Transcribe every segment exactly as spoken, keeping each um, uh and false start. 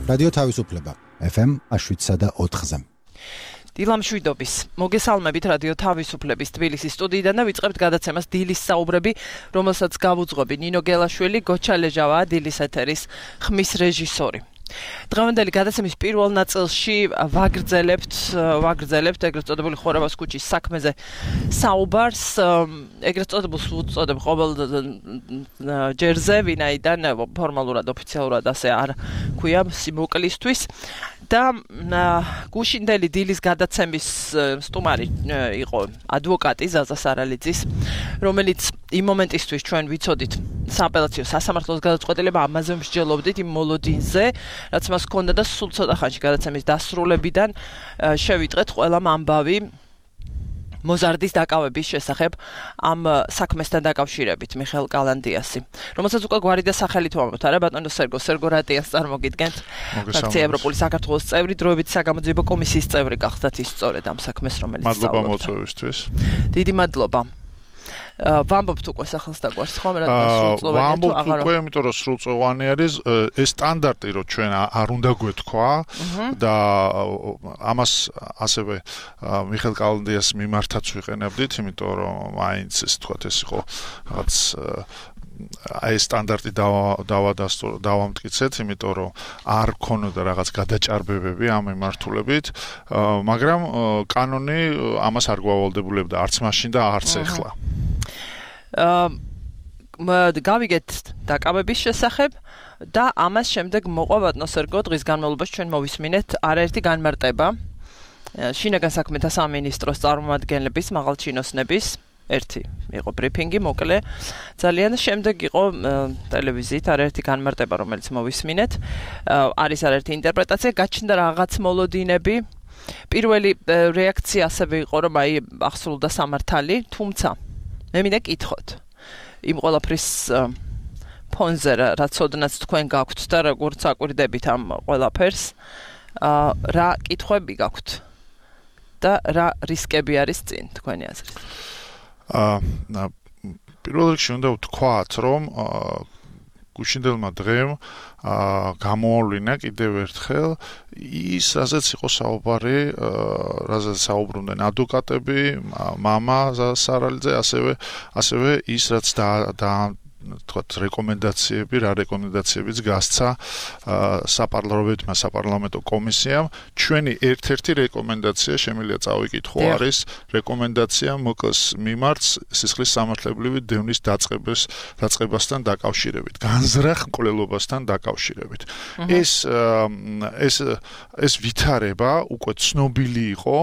რადიო თავისუფლება ეფ ემ შვიდსა და ოთხზე. დილამ შვიდობის. მოგესალმებით რადიო თავისუფლების თბილისის სტუდიიდან და ვიწყებთ გადაცემას დილის საუბრები, რომელსაც გავუძღვები ნინო გელაშვილი, გოჩა ლეჟავაა დილის ეთერის ხმის რეჟისორი. დღევანდელი გადაცემის პირველ ნაწილში ვაგრძელებთ ვაგრძელებთ ეგრეთ წოდებული ხორაბას ქუჩის საქმეზე საუბარს. ეგრეთ წოდებულს ვუწოდებ ყოველ ჯერზე, ვინაიდან ფორმალურად ოფიციალურად ასე არ ქვია სიმოკლისთვის. და გუშინდელი დილის გადაცემის სტუმარი იყო ადვოკატი ზაზა სარალიძის, რომელიც იმ მომენტისთვის ჩვენ ვიცოდით სააპელაციო სასამართლოს გადაწყვეტილება, ამაზე მსჯელობდით იმ მოლოდინზე, რაც მას ჰქონდა და სულ ცოტა ხანში გადაცემის დასრულებიდან შევიტყეთ ყველამ ამბავი მოზარდის დაკავების შესახებ ამ საქმესთან დაკავშირებით მიხეილ კალანდიასი, რომელსაც უკვე გვარი და სახელით ვამბობთ, არა ბატონო სერგო სერგო რატიას წარმოგიდგენთ. ფრაქცია ევროპული საქართველოს წევრი, დროებითი საგამოძიებო კომისიის წევრი გახდათ ის სწორედ ამ საქმეს, რომელიც მადლობა მოწვევისთვის. დიდი მადლობა. ვამბობთ უკვე სახელს დაგვარს ხომ რა სრულწლოვანი თუ ვამბობთ აღარ უკვე, იმიტომ რომ სრულწლოვანი არის ეს სტანდარტი, რომ ჩვენ არ უნდა გვეთქვა და ამას ასევე მიხეილ კალანდიას მიმართაც ვიყენებდით, იმიტომ რომ მაინც ეს თქვათ ეს იყო რაღაც აი სტანდარტი დავამტკიცეთ, იმიტომ რომ არ ქონოდა რაღაც გადაჭარბებები ამ მიმართულებით, მაგრამ კანონი ამას არ გვავალდებულებდა არც მაშინ და არც ახლა. გავიგეთ დაკავების შესახებ და ამას შემდეგ მოყვა ბატონო სერგო, დღის განმავლობაში ჩვენ მოვისმინეთ არაერთი განმარტება შინაგან საქმეთა სამინისტროს წარმომადგენლების, მაღალჩინოსნების. ერთი იყო ბრიფინგი, მოკლე ძალიან, შემდეგ იყო ტელევიზიით არაერთი განმარტება, რომელიც მოვისმინეთ. არის არაერთი ინტერპრეტაცია, გაჩნდა რაღაც მოლოდინები. პირველი რეაქცია ასევე იყო, რომ აი ახსოვდა სამართალი, თუმცა მე მინდა კითხოთ იმ ყველაფრის ფონზე, რაც ოდნაც თქვენ გაქვთ და როგორც აკვირდებით ამ ყველაფერს, რა კითხვები გაქვთ და რა რისკები არის წინ თქვენი აზრით? აა პირველ რიგში უნდა ვთქვათ, რომ გუშინდელმა დღემ გამოავლინა კიდევ ერთხელ ის, რასაც იყო საუბარი, რასაც საუბრობდნენ ადვოკატები, მამა სარალიძე, ასევე ასევე ის, რაც და თქვათ რეკომენდაციები, რა რეკომენდაციებიც გასცა საპარლამენტო საპარლამენტო კომისიამ. ჩვენი ერთ-ერთი რეკომენდაცია შემიძლია წავიკითხო, არის რეკომენდაცია მოკლეს მიმართ სისხლის სამართლებრივი დევნის დაწყებას დაწყებასთან დაკავშირებით, განზრახ მკვლელობასთან დაკავშირებით. ეს ეს ეს ვითარება უკვე ცნობილი იყო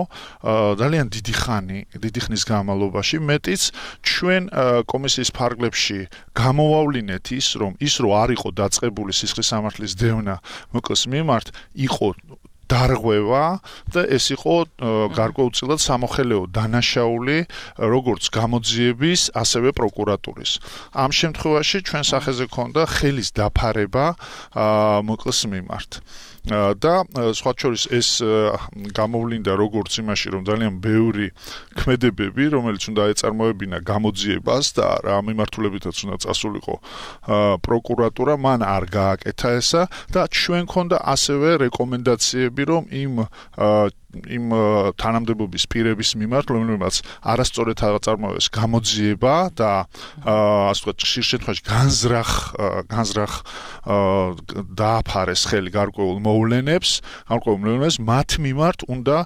ძალიან დიდი ხანი, დიდი ხნის განმავლობაში, მეტიც ჩვენ კომისიის ფარგლებში გამოვავლინეთ ის, რომ ის რო არ იყო დაწყებული სისხლის სამართლის დევნა მოკლეს მიმართ, იყო დარღვევა და ეს იყო გარკვეულწილად სამოხელეო დანაშაული როგორც გამოძიების, ასევე პროკურატურის. ამ შემთხვევაში ჩვენ სახეზე ქონდა ხელის დაფარება მოკლეს მიმართ. და სხვა შორის ეს გამოვლინდა როგორც იმაში, რომ ძალიან ბევრი ქმედებები, რომელიც უნდა ეწარმოებინა გამოძიებას და რა მიმართულებითაც უნდა წასულიყო პროკურატურა, მან არ გააკეთა ესა და ჩვენ ქონდა ასევე რეკომენდაციები, რომ იმ იმ თანამდებობის პირების მიმართ, რომლებმაც არასწორად აწარმოეს გამოძიება და ასე ვთქვათ, ხშირ შემთხვევაში განზრახ განზრახ დააფარეს ხელი გარკვეულ მოვლენებს, გარკვეულ მოვლენებს მათ მიმართ უნდა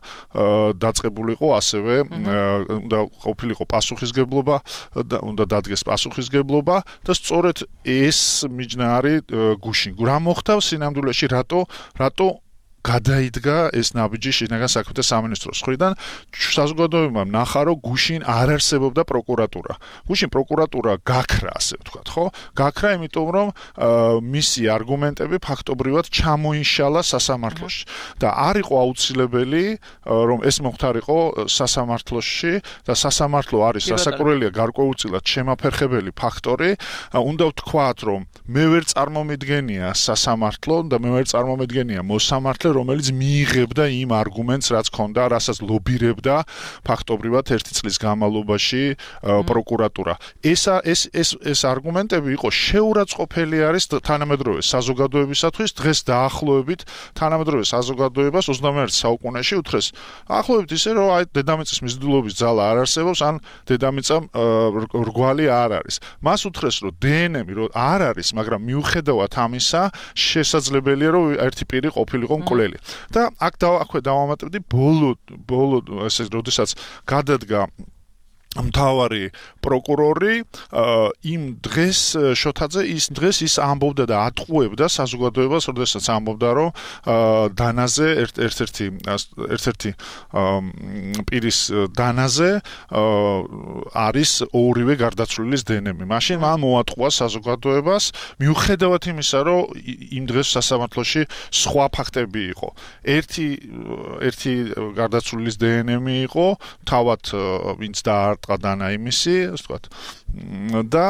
დაწყებულიყო ასევე უნდა ყოფილიყო პასუხისგებლობა და უნდა დადგეს პასუხისგებლობა და სწორედ ეს მიჯნა არის გუშინ. რა მოხდა სინამდვილეში, რატო რატო გადაიდგა ეს ნაბიჯი შინაგან საქმეთა სამინისტროს მხრიდან? საზოგადოებამ ნახა, რომ გუშინ არ არსებობდა პროკურატურა. გუშინ პროკურატურა გაქრა, ასე ვთქვათ, ხო? გაქრა, იმიტომ რომ მისი არგუმენტები ფაქტობრივად ჩამოიშალა სასამართლოში და არ იყო აუცილებელი, რომ ეს მოხდარიყო სასამართლოში და სასამართლო არის სასაკურველია გარკვეულწილად შემაფერხებელი ფაქტორი. უნდა ვთქვათ, რომ მე ვერ წარმომიდგენია სასამართლო და მე ვერ წარმომიდგენია მოსამართლე მომხრე, რომელიც მიიღებდა იმ არგუმენტს, რაც ჰქონდა, რასაც ლობირებდა ფაქტობრივად ერთი წლის განმავლობაში პროკურატურა. ეს ეს ეს ეს არგუმენტები იყო შეურაცხყოფელი არის თანამედროვე საზოგადოებისათვის, დღეს დაახლოებით თანამედროვე საზოგადოებას ოცდამეერთე საუკუნეში უთხრეს. ახლობით ისე რომ აი დედამიწის მიზიდულობის ძალა არ არსებობს, ან დედამიწა რგვალი არ არის. მას უთხრეს რომ დე εν ემი რომ არ არის, მაგრამ მიუხედავად ამისა, შესაძლებელია რომ ერთი პირი ყოფილიყო მკვლელი. და აქ აქვე დავამატებდი ბოლო ბოლო ესე როდესაც გადადგა მთავარი პროკურორი იმ დღეს შოთაძე ის დღეს ის ამბობდა და ატყუებდა საზოგადოებას, როდესაც ამბობდა რომ დანაზე ერთ-ერთი ერთ-ერთი პირის დანაზე არის ორივე გარდაცვლილის დე εν ემი. მაშინ მან მოატყუა საზოგადოებას მიუხედავად იმისა, რომ იმ დღეს სასამართლოში სხვა ფაქტები იყო. ერთი ერთი გარდაცვლილის დე εν ემი იყო, თავად ვინც და ყადანა იმისი, ასე ვთქვათ. და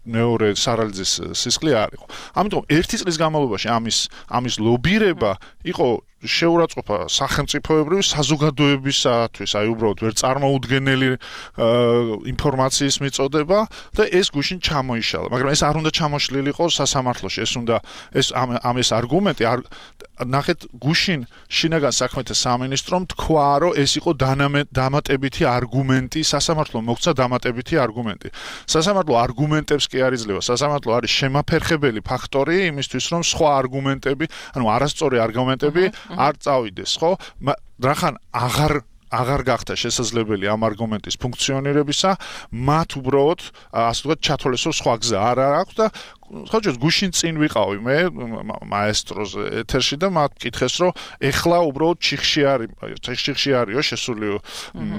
მეორე სარალძის სისხლი არ იყო. ამიტომ ერთი წლის განმავლობაში ამის ამის ლობირება იყო შეურაცხყოფა სახელმწიფოებრივი საზოგადოებისათვის, აი უბრალოდ ვერ წარმოუდგენელი ინფორმაციის მიწოდება და ეს გუშინ ჩამოიშალა. მაგრამ ეს არ უნდა ჩამოშლილიყო სასამართლოში, ეს უნდა ეს ამ ეს არგუმენტი ნახეთ გუშინ შინაგან საქმეთა სამინისტრომ თქვა, რომ ეს იყო დამატებითი არგუმენტი, სასამართლომ მოგცა დამატებითი არგუმენტი. სასამართლო არგუმენტებს კი არ იძლევა, სასამართლო არის შემაფერხებელი ფაქტორი იმისთვის, რომ სხვა არგუმენტები, ანუ არასწორი არგუმენტები არ წავიდეს, ხო? რახან აღარ აღარ გახდა შესაძლებელი ამ არგუმენტის ფუნქციონირებისა, მათ უბრალოდ ასე ვთქვათ ჩათვალეს, რომ სხვა გზა არ აქვს და ხოჭოს გუშინ წინ ვიყავი მე მაესტროს ეთერში და მათ მკითხეს, რომ ეხლა უბრალოდ ჩიხში არის, ჩიხში არისო შესული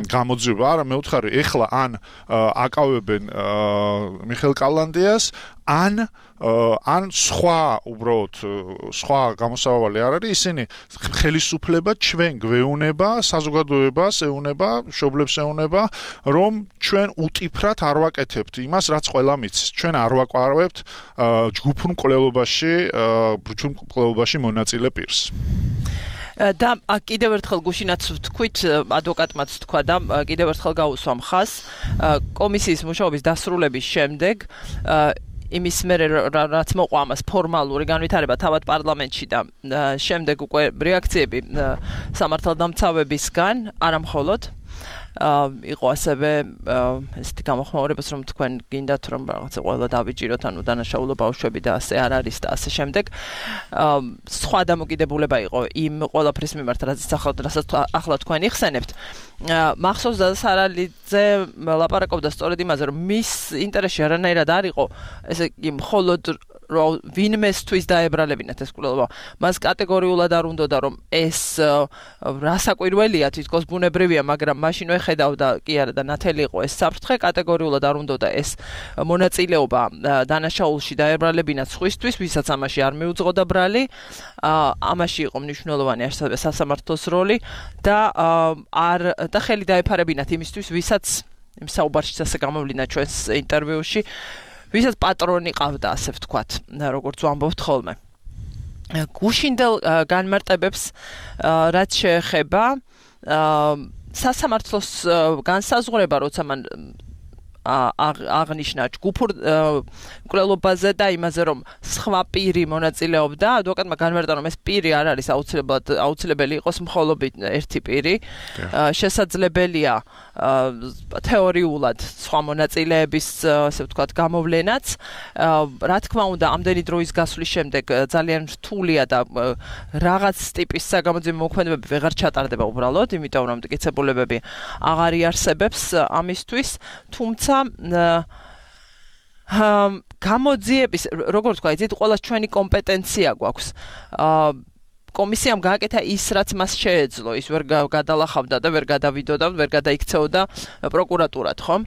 გამოძიება, არა მე ვთხარი, ეხლა ან აკავებენ მიხეილ კალანდიას, ან ან სხვა უბრალოდ სხვა გამოსავალი არ არის, ისინი ხელისუფლება ჩვენ გვეუნება, საზოგადოებას ეუნება, მშობლებს ეუნება, რომ ჩვენ უტიფრად არ ვაკეთებთ იმას, რაც ყველა მიცის. ჩვენ არ ვაკვირვებთ ჯგუფურ მკვლელობაში, ჯგუფურ მკვლელობაში მონაწილე პირს. და კიდევ ერთხელ გუშინაც ვთქვით, ადვოკატმაც თქვა და კიდევ ერთხელ გავუსვა მხას, კომისიის მუშაობის დასრულების შემდეგ იმის მერე რაც მოყვა ამას ფორმალური განვითარება თავად პარლამენტში და შემდეგ უკვე რეაქციები სამართალდამცავებისგან, არა მხოლოდ იყო ასევე ესეთი გამოხმაურებას, რომ თქვენ გინდათ რომ რაღაცა ყველა დავიჭიროთ, ანუ დანაშაულო ბავშვები და ასე არ არის და ასე შემდეგ. სხვა დამოკიდებულება იყო იმ ყველაფრის მიმართ, რასაც ახლა თქვენ იხსენებთ. მახსოვს და სარალიძე ლაპარაკობდა სწორედ იმაზე, რომ მის ინტერესში არანაირად არ იყო ესე იგი მხოლოდ რომ ვინმესთვის დაებრალებინათ ეს კვლელობა. მას კატეგორიულად არ უნდოდა რომ ეს რასაკვირველია, თითქოს ბუნებრივია, მაგრამ მაშინ ეხედავდა კი არა და ნათელი იყო ეს საფრთხე, კატეგორიულად არ უნდოდა ეს მონაწილეობა დანაშაულში დაებრალებინათ სხვისთვის, ვისაც ამაში არ მიუძღოდა ბრალი. ამაში იყო მნიშვნელოვანი ასევე სასამართლოს როლი და არ და ხელი დაეფარებინათ იმისთვის, ვისაც იმ საუბარშიც ასე გამოვლინდა ჩვენს ინტერვიუში, ვისაც პატრონი ყავდა, ასე ვთქვათ, როგორც ვამბობთ ხოლმე. გუშინდელ განმარტებებს რაც შეეხება სასამართლოს განსაზღვრება, როცა მან აღნიშნა ჯგუფურ მკვლელობაზე და იმაზე, რომ სხვა პირი მონაწილეობდა, ადვოკატმა განმარტა, რომ ეს პირი არ არის აუცილებლად აუცილებელი იყოს მხოლოდ ერთი პირი. შესაძლებელია თეორიულად სხვა მონაწილეების, ასე ვთქვათ, გამოვლენაც. რა თქმა უნდა, ამდენი დროის გასვლის შემდეგ ძალიან რთულია და რაღაც ტიპის საგამოძიებო მოქმედებები ვეღარ ჩატარდება უბრალოდ, იმიტომ რომ მტკიცებულებები აღარ იარსებებს ამისთვის, თუმცა გამოძიების, როგორ ვთქვა, იცით, ყველას ჩვენი კომპეტენცია გვაქვს. კომისიამ გააკეთა ის, რაც მას შეეძლო, ის ვერ გადალახავდა და ვერ გადავიდოდა, ვერ გადაიქცეოდა პროკურატურად, ხომ?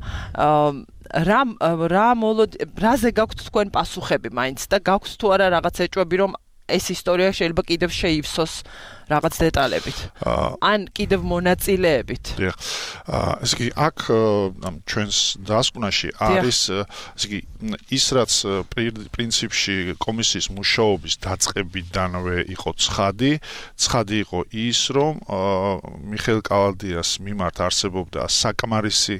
რა რა მოლოდ რაზე გაქვთ თქვენ პასუხები მაინც და გაქვთ თუ არა რაღაც ეჭვები, რომ ეს ისტორია შეიძლება კიდევ შეივსოს რაღაც დეტალებით. ან კიდევ მონაწილეებით. დიახ. ესე იგი აქ ამ ჩვენს დასკვნაში არის ესე იგი ის რაც პრინციპში კომისიის მუშაობის დაწყებიდანვე იყო ცხადი, ცხადი იყო ის, რომ მიხეილ კალანდიას მიმართ არსებობდა საკმარისი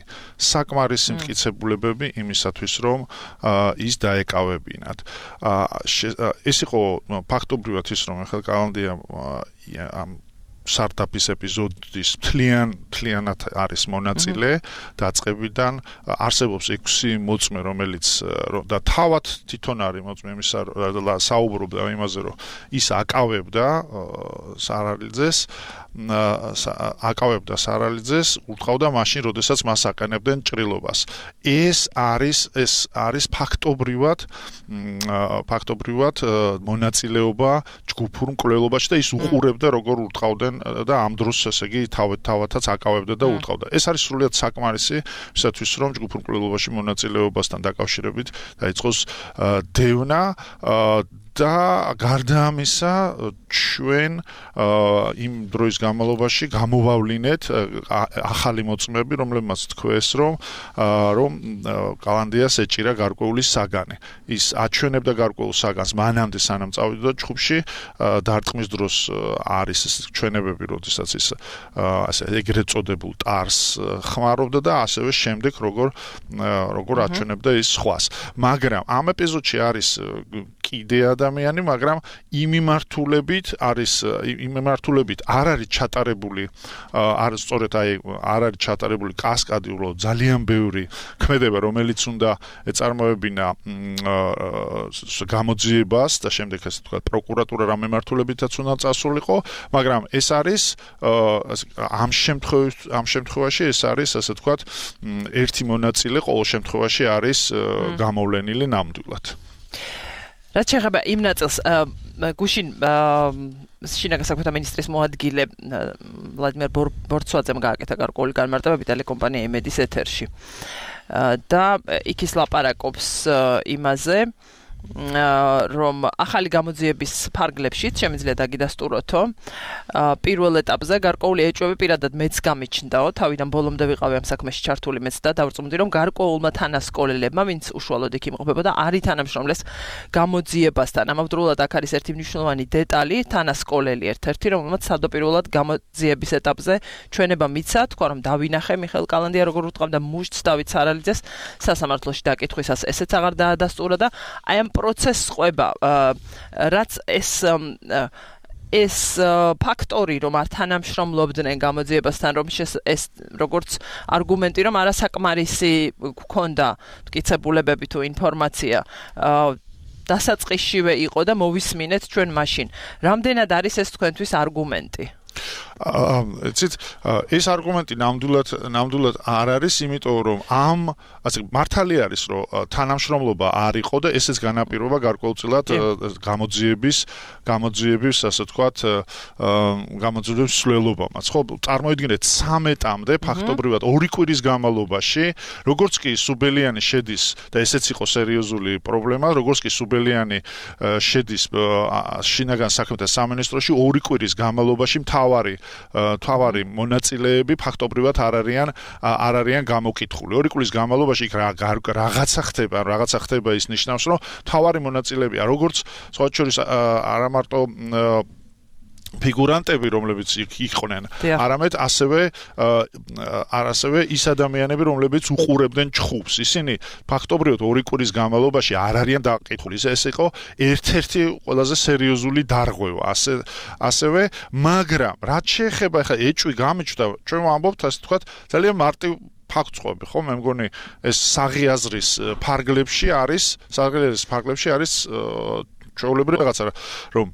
საკმარისი მტკიცებულებები იმისათვის, რომ ის დაეკავებინათ. ეს იყო ფაქტობრივად ის, რომ მიხეილ კალანდია ამ სტარტაპის ეპიზოდის თლიან თლიანად არის მონაწილე დაწყებიდან არსებობს ექვსი მოწმე რომელიც და თავად თვითონ არის მოწმე იმისა საუბრობდა იმაზე რომ ის აკავებდა სარალიძეს აკავებდა სარალიძეს უთხოვდა მაშინ როდესაც მას აყენებდნენ ჭრილობას ეს არის ეს არის ფაქტობრივად ფაქტობრივად მონაწილეობა ჯგუფურ მკვლელობაში და ის უყურებდა როგორ უთხოვდნენ და ამ დროს ესე იგი თავად თავადაც აკავებდა და უთხოვდა. ეს არის სრულიად საკმარისი ისათვის რომ ჯგუფურ მკვლელობაში მონაწილეობასთან დაკავშირებით დაიწყოს დევნა და გარდა ამისა ჩვენ იმ დროის განმავლობაში გამოვავლინეთ ახალი მოწმეები, რომლებმაც თქვეს, რომ რომ კალანდიას ეჭირა გარკვეული საგანი. ის აჩვენებდა გარკვეულ საგანს მანამდე სანამ წავიდოდა ჯგუფში, დარტყმის დროს არის ჩვენებები, როდესაც ის ასე ეგრეთ წოდებულ ტარს ხმარობდა და ასევე შემდეგ როგორ როგორ აჩვენებდა ის სხვას. მაგრამ ამ ეპიზოდში არის კიდე ადამიანი, მაგრამ იმ მიმართულებით არის იმ მიმართულებით არ არის ჩატარებული არ სწორედ აი არ არის ჩატარებული კასკადი უბრალოდ ძალიან ბევრი ქმედება, რომელიც უნდა ეწარმოებინა გამოძიებას და შემდეგ ასე ვთქვათ პროკურატურა რა მიმართულებითაც უნდა წასულიყო, მაგრამ ეს არის ამ შემთხვევაში ამ შემთხვევაში ეს არის ასე ვთქვათ ერთი მონაწილე ყოველ შემთხვევაში არის გამოვლენილი ნამდვილად. რაც შეეხება იმ ნაწილს გუშინ შინაგან საქმეთა მინისტრის მოადგილე ვლადიმერ ბორცვაძემ გააკეთა გარკვეული განმარტებები ტელეკომპანია იმედის ეთერში და იქ ის ლაპარაკობს იმაზე რომ ახალი გამოძიების ფარგლებშიც შემიძლია დაგიდასტუროთო პირველ ეტაპზე გარკვეული ეჭვები პირადად მეც გამიჩნდაო თავიდან ბოლომდე ვიყავი ამ საქმეში ჩართული მეც და დავწმუნდი რომ გარკვეულმა თანასკოლელებმა ვინც უშუალოდ იქ იმყოფებოდა არ ითანამშრომლეს გამოძიებასთან ამავდროულად აქ არის ერთი მნიშვნელოვანი დეტალი თანასკოლელი ერთ-ერთი რომელმაც სადაპირველად გამოძიების ეტაპზე ჩვენება მიცა თქვა რომ დავინახე მიხეილ კალანდია როგორ უთხოვდა მუშტს დავით სარალიძეს სასამართლოში დაკითხვისას ესეც აღარ დაადასტურა და აი ამ პროცესს ყვება რაც ეს ეს ფაქტორი რომ არ თანამშრომლობდნენ გამოძიებასთან რომ ეს როგორც არგუმენტი რომ არასაკმარისი გქონდა მტკიცებულებები თუ ინფორმაცია დასაწყისშივე იყო და მოვისმინეთ ჩვენ მაშინ რამდენად არის ეს თქვენთვის არგუმენტი იცით ეს არგუმენტი ნამდვილად ნამდვილად არ არის, იმიტომ რომ ამ ასე მართალი არის, რომ თანამშრომლობა არ იყო და ესეც განაპირობა გარკვეულწილად გამოძიების გამოძიების ასე ვთქვათ გამოძიების სვლელობამაც. ხო, წარმოიდგინეთ ცამეტამდე ფაქტობრივად ორი კვირის განმავლობაში, როგორც კი სუბელიანი შედის და ესეც იყო სერიოზული პრობლემა, როგორც კი სუბელიანი შედის შინაგან საქმეთა სამინისტროში ორი კვირის განმავლობაში მთავარი თავარი მონაწილეები ფაქტობრივად არ არიან არ არიან გამოკითხული. ორი კვირის განმავლობაში იქ რაღაცა ხდება, რაღაცა ხდება ის ნიშნავს, რომ თავარი მონაწილეებია, როგორც სხვა შორის არა მარტო ფიგურანტები, რომლებიც იყვნენ, არამედ ასევე ასევე ის ადამიანები, რომლებიც უყურებდნენ ჩხუბს. ისინი ფაქტობრივად ორი კვირის განმავლობაში არ არიან დაკითხული. ეს იყო ერთ-ერთი ყველაზე სერიოზული დარღვევა. ასე ასევე, მაგრამ რაც შეეხება ხა ეჭვი გამიჩნდა, ჩვენ ვამბობთ ასე ვთქვათ, ძალიან მარტივ ფაქტს ყვები, ხო? მე მგონი ეს საღიაზრის ფარგლებში არის, საღიაზრის ფარგლებში არის ჩვეულებრივი რაღაცა, რომ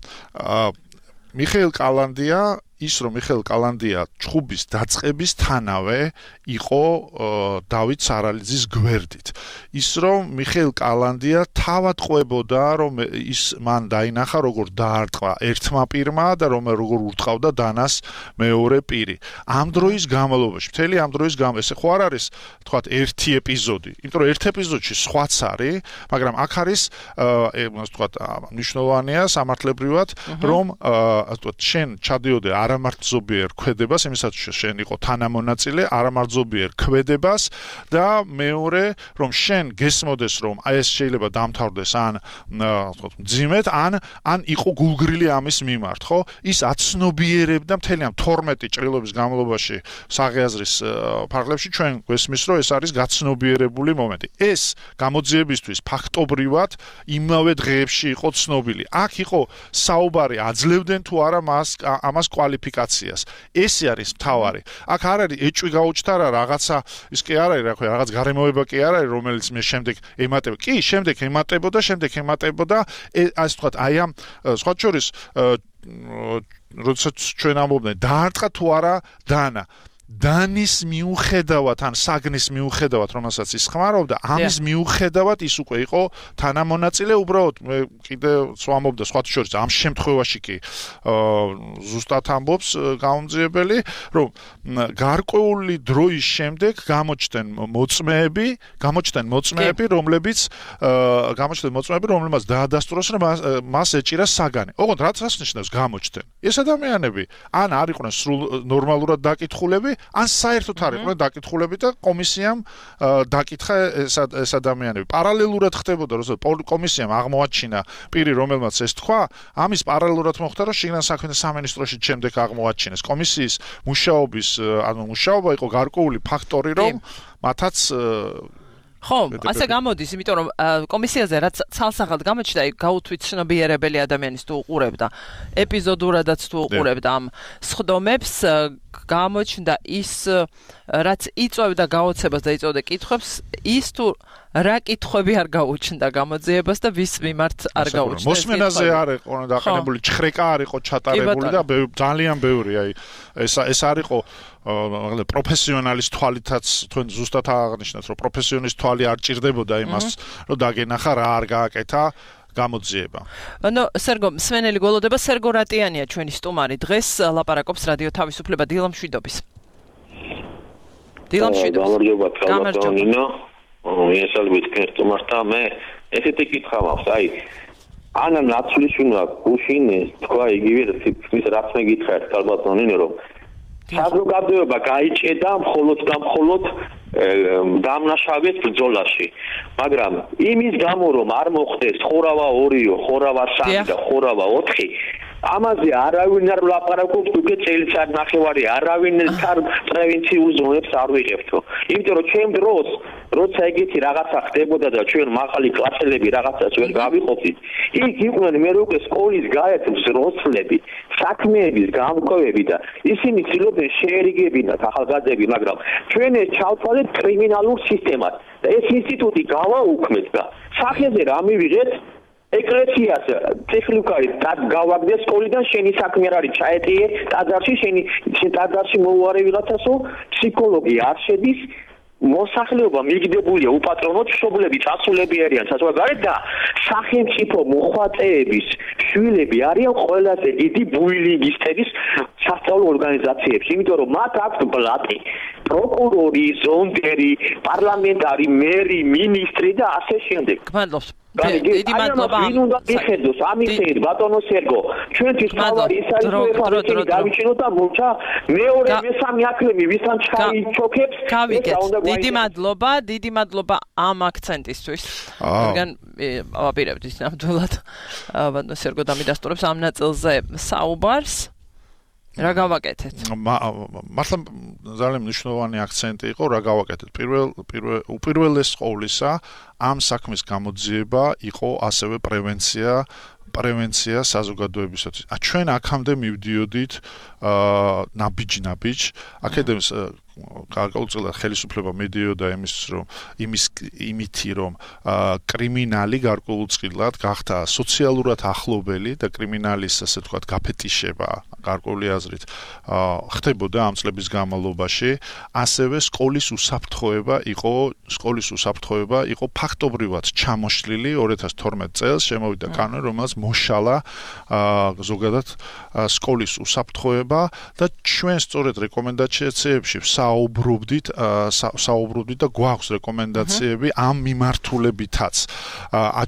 მიხეილ კალანდია ის რომ მიხეილ კალანდია ჩხუბის დაწყების თანავე იყო დავით სარალიძის გვერდით. ის რომ მიხეილ კალანდია თავად ყვებოდა რომ ის მან დაინახა როგორ დაარტყა ერთმა პირმა და რომ როგორ ურტყავდა დანას მეორე პირი. ამ დროის განმავლობაში, მთელი ამ დროის განმავლობაში, ესე ხო არ არის, თქვათ, ერთი ეპიზოდი. იმიტომ რომ ერთ ეპიზოდში სხვაც არის, მაგრამ აქ არის, ასე ვთქვათ, მნიშვნელოვანია სამართლებრივად, რომ ასე ვთქვათ, შენ ჩადიოდე არამართლზობიერ ქმედებას, იმისაც შენ იყო თანამონაწილე, არამართლზობიერ ქმედებას და მეორე, რომ შენ გესმოდეს, რომ აი ეს შეიძლება დამთავრდეს ან ვთქვათ, მძიმედ, ან ან იყო გულგრილი ამის მიმართ, ხო? ის აცნობიერებდა მთელი ამ თორმეტი ჭრილობის განმავლობაში საღიაზრის ფარგლებში ჩვენ გვესმის, რომ ეს არის გაცნობიერებული მომენტი. ეს გამოძიებისთვის ფაქტობრივად იმავე დღეებში იყო ცნობილი. აქ იყო საუბარი, აძლევდნენ თუ არა მას ამას კვალიფიკაციას. ესე არის მთავარი. აქ არ არის ეჭვი გაუჩნდა რა რაღაცა, ის კი არ არის, რა ქვია, რაღაც გარემოება კი არ არის, რომელიც მე შემდეგ ემატებოდა. კი, შემდეგ ემატებოდა, შემდეგ ემატებოდა, ასე ვთქვათ, აი ამ სხვა შორის როდესაც ჩვენ ამბობდნენ, დაარტყა თუ არა დანა. დანის მიუხედავად ან საგნის მიუხედავად, რომელსაც ის ხმარობდა, ამის მიუხედავად ის უკვე იყო თანამონაწილე, უბრალოდ მე კიდე ვამბობდა სხვა შორის ამ შემთხვევაში კი ზუსტად ამბობს გამომძიებელი, რომ გარკვეული დროის შემდეგ გამოჩნდნენ მოწმეები, გამოჩნდნენ მოწმეები, რომლებიც გამოჩნდნენ მოწმეები, რომლებმაც დაადასტუროს, რომ მას ეჭირა საგანი. ოღონდ რაც ნიშნავს გამოჩნდნენ? ეს ადამიანები ან არ იყვნენ სრულ ნორმალურად დაკითხულები, ან საერთოდ არ იყვნენ დაკითხულები და კომისიამ დაკითხა ეს ადამიანები. პარალელურად ხდებოდა, რომ კომისიამ აღმოაჩინა პირი, რომელმაც ეს თქვა, ამის პარალელურად მოხდა, რომ შიგნან საქმეთა სამინისტროში შემდეგ აღმოაჩინეს. კომისიის მუშაობის, ანუ მუშაობა იყო გარკვეული ფაქტორი, რომ მათაც ხო, ასე გამოდის, იმიტომ რომ კომისიაზე რაც ცალსახად გამოჩნდა, გაუთვით ცნობიერებელი ადამიანის თუ უყურებდა, ეპიზოდურადაც თუ უყურებდა ამ სხდომებს, გამოჩნდა ის, რაც იწვევდა გაოცებას და იწვევდა კითხვებს, ის თუ რა კითხვები არ გაუჩნდა გამოძიებას და ვის მიმართ არ გაუჩნდა. მოსმენაზე არ იყო დაყენებული, ჩხრეკა არ იყო ჩატარებული და ძალიან ბევრი, აი ეს ეს არ იყო პროფესიონალის თვალითაც თქვენ ზუსტად აღნიშნეთ, რომ პროფესიონალის თვალი არ ჭირდებოდა იმას, რომ დაგენახა რა არ გააკეთა გამოძიება. ანუ სერგო, მსმენელი გველოდება, სერგო რატიანია ჩვენი სტუმარი. დღეს ლაპარაკობს რადიო თავისუფლება დილა მშვიდობის. დილა მშვიდობის. გამარჯობა. მიესალმებით თქვენ სტუმარს და მე ესეთი კითხვა მაქვს, აი ანა ნაცვლიშვილმა გუშინეს თქვა იგივე ის რაც მე გითხარით ქალბატონინო, რომ საზოგადოება გაიჭედა მხოლოდ და მხოლოდ დამნაშავეს ბრძოლაში, მაგრამ იმის გამო რომ არ მოხდეს ხორავა ორიო, ხორავა სამი და ხორავა ოთხი, ამაზე არავინ არ ლაპარაკობს, უკვე წელიწად ნახევარი არავინ თან პრევენციულ ზონებს არ ვიღებთო. იმიტომ რომ ჩემ დროს როცა ეგეთი რაღაცა ხდებოდა და ჩვენ მაღალი კლასელები რაღაცას ვერ გავიყოფით, იქ იყვნენ მე უკვე სკოლის გაერთოს როცლები, საქმეების გამკვლევები და ისინი ცდილობდნენ შეერიგებინათ ახალგაზრდები, მაგრამ ჩვენ ეს ჩავთვალეთ კრიმინალურ სისტემად და ეს ინსტიტუტი გავაუქმეთ და სახეზე რა მივიღეთ ეკლესიას ტექნიკარი გავაგდე სკოლიდან შენი საქმე არ არის ჩაეტიე ტაძარში შენი ტაძარში მოუარე ვიღაცასო ფსიქოლოგი არ შედის მოსახლეობა მიგდებულია უპატრონოდ მშობლები წასულები არიან საზოგადოებრივ და სახელმწიფო მოხატეების შვილები არიან ყველაზე დიდი ბუილინგისტების სასწავლო ორგანიზაციებში, იმიტომ რომ მათ აქვს ბლატი, პროკურორი, ზონდერი, პარლამენტარი, მერი, მინისტრი და ასე შემდეგ. გმადლობთ. დიდი მადლობა. ვინ უნდა მიხედოს ამიხედ ბატონო სერგო. ჩვენთვის თავარი ის არის რომ ფარჩი დავიჩინოთ და მოჩა მეორე მესამე აქლემი ვისთან ჩაიჩოქებს. დიდი მადლობა, დიდი მადლობა ამ აქცენტისთვის. რადგან ავაპირებთ ის ნამდვილად ბატონო სერგო დამიდასტურებს ამ ნაწილზე საუბარს. რა გავაკეთეთ? მართლა ძალიან მნიშვნელოვანი აქცენტი იყო, რა გავაკეთეთ. პირველ პირველ უპირველეს ყოვლისა ამ საქმის გამოძიება იყო ასევე პრევენცია, პრევენცია საზოგადოებისათვის. ჩვენ აქამდე მივდიოდით ნაბიჯ-ნაბიჯ, აქედან გარკვეულწილად ხელისუფლება მედიოდა იმის რომ იმის იმითი რომ კრიმინალი გარკვეულწილად გახდა სოციალურად ახლობელი და კრიმინალის ასე ვთქვათ გაფეტიშება გარკვეული აზრით ხდებოდა ამ წლების განმავლობაში ასევე სკოლის უსაფრთხოება იყო სკოლის უსაფრთხოება იყო ფაქტობრივად ჩამოშლილი ორი ათას თორმეტ წელს შემოვიდა კანონი რომელსაც მოშალა ზოგადად სკოლის უსაფრთხოება და ჩვენ სწორედ რეკომენდაციებში საუბრობდით საუბრობდით და გვაქვს რეკომენდაციები ამ მიმართულებითაც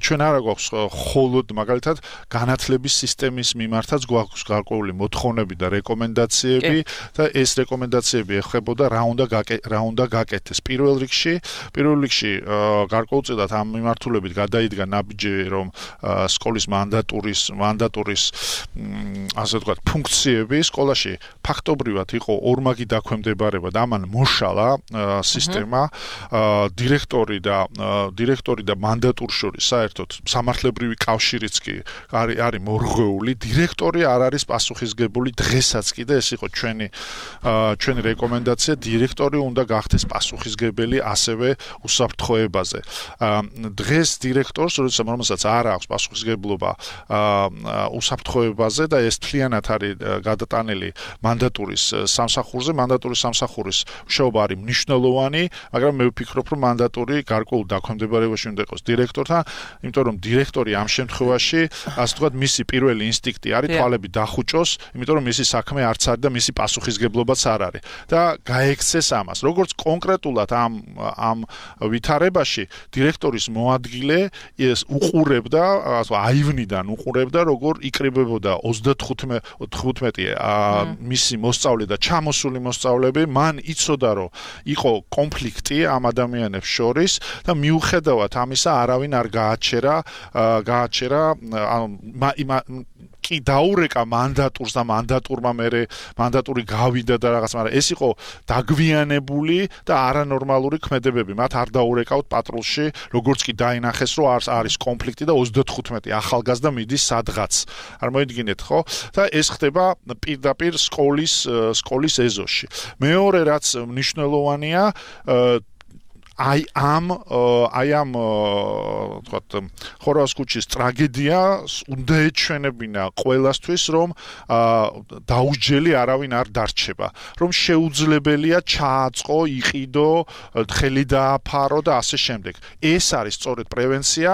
ჩვენ არა გვაქვს მხოლოდ მაგალითად განათლების სისტემის მიმართაც გვაქვს გარკვეული მოთხოვნები და რეკომენდაციები და ეს რეკომენდაციები ეხებოდა რა უნდა რა უნდა გაკეთდეს პირველ რიგში პირველ რიგში გარკვეულწილად ამ მიმართულებით გადაიდგა ნაბიჯი რომ სკოლის მანდატურის მანდატურის ასე ვთქვათ ფუნქციები სკოლაში ფაქტობრივად იყო ორმაგი დაქვემდებარება და ამან მოშალა სისტემა დირექტორი და დირექტორი და მანდატურ შორის საერთოდ სამართლებრივი კავშირიც კი არის არის მორღვეული დირექტორი არ არის პასუხისგებელი დღესაც კი და ეს იყო ჩვენი ჩვენი რეკომენდაცია დირექტორი უნდა გახდეს პასუხისგებელი ასევე უსაფრთხოებაზე დღეს დირექტორს რომელსაც არ აქვს პასუხისგებლობა უსაფრთხოებაზე და ეს თლიანად არის გადატანილი მანდატურის სამსახურზე მანდატურის სამსახურის მუშაობა არის მნიშვნელოვანი მაგრამ მე ვფიქრობ რომ მანდატური გარკვეულ დაქვემდებარებაში უნდა იყოს დირექტორთან იმიტომ რომ დირექტორი ამ შემთხვევაში ასე ვთქვათ მისი პირველი ინსტინქტი არის თვალები დახუჭოს იმიტომ რომ მისი საქმე არც არის და მისი პასუხისგებლობაც არ არის და გაექცეს ამას როგორც კონკრეტულად ამ ამ ვითარებაში დირექტორის მოადგილე ეს უყურებდა აივნიდან უყურებდა როგორ იკრიბებოდა ოცდათხუთმეტი მისი მოსწავლე და ჩამოსული მოსწავლეები მან იცოდა რომ იყო კონფლიქტი ამ ადამიანებს შორის და მიუხედავად ამისა არავინ არ გააჩერა გააჩერა კი დაურეკა მანდატურს და მანდატურმა მერე მანდატური გავიდა და რაღაც მაგრამ ეს იყო დაგვიანებული და არანორმალური ქმედებები მათ არ დაურეკავთ პატრულში როგორც კი დაინახეს რომ არის არის კონფლიქტი და ოცდათხუთმეტი ახალგაზრდა მიდის სადღაც არ მოიდგინეთ ხო და ეს ხდება პირდაპირ სკოლის სკოლის ეზოში მეორე რაც მნიშვნელოვანია აი ამ აი ამ თქვათ ხორვას ქუჩის ტრაგედია უნდა ეჩვენებინა ყველასთვის რომ დაუჯელი არავინ არ დარჩება რომ შეუძლებელია ჩააწყო იყიდო ხელი დააფარო და ასე შემდეგ ეს არის სწორედ პრევენცია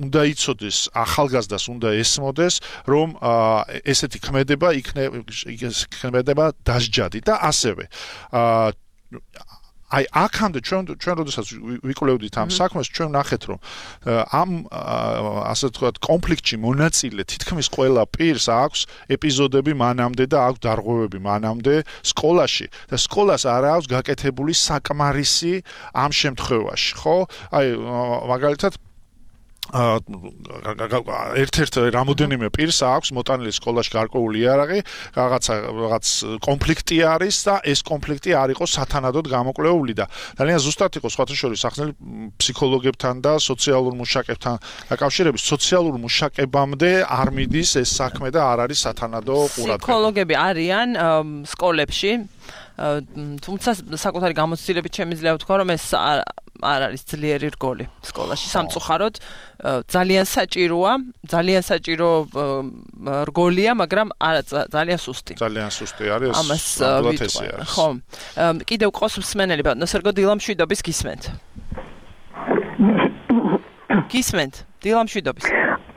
უნდა იცოდეს ახალგაზრდას უნდა ესმოდეს რომ ესეთი ქმედება იქნება დასჯადი და ასევე აი აქამდე ჩვენ ჩვენ როდესაც ვიკვლევდით ამ საქმეს ჩვენ ნახეთ რომ ამ ასე ვთქვათ კონფლიქტში მონაწილე თითქმის ყველა პირს აქვს ეპიზოდები მანამდე და აქვს დარღვევები მანამდე სკოლაში და სკოლას არ აქვს გაკეთებული საკმარისი ამ შემთხვევაში ხო აი მაგალითად ერთ-ერთ რამოდენიმე პირს აქვს მოტანილი სკოლაში გარკვეული იარაღი, რაღაცა რაღაც კონფლიქტი არის და ეს კონფლიქტი არ იყო სათანადოდ გამოკვლეული და ძალიან ზუსტად იყო სხვათა შორის ახსნილი ფსიქოლოგებთან და სოციალურ მუშაკებთან დაკავშირებით სოციალურ მუშაკებამდე არ მიდის ეს საქმე და არ არის სათანადო ყურადღება. ფსიქოლოგები არიან სკოლებში თუმცა საკუთარი გამოცდილებით შემიძლია ვთქვა რომ ეს არ არის ძლიერი რგოლი სკოლაში სამწუხაროდ ძალიან საჭიროა ძალიან საჭირო რგოლია მაგრამ არა ძალიან სუსტი ძალიან სუსტი არის ამას ვიტყვი ხო კიდევ ყავს მსმენელი ბატონო სერგო დილამშვიდობის გისმენთ გისმენთ დილამშვიდობის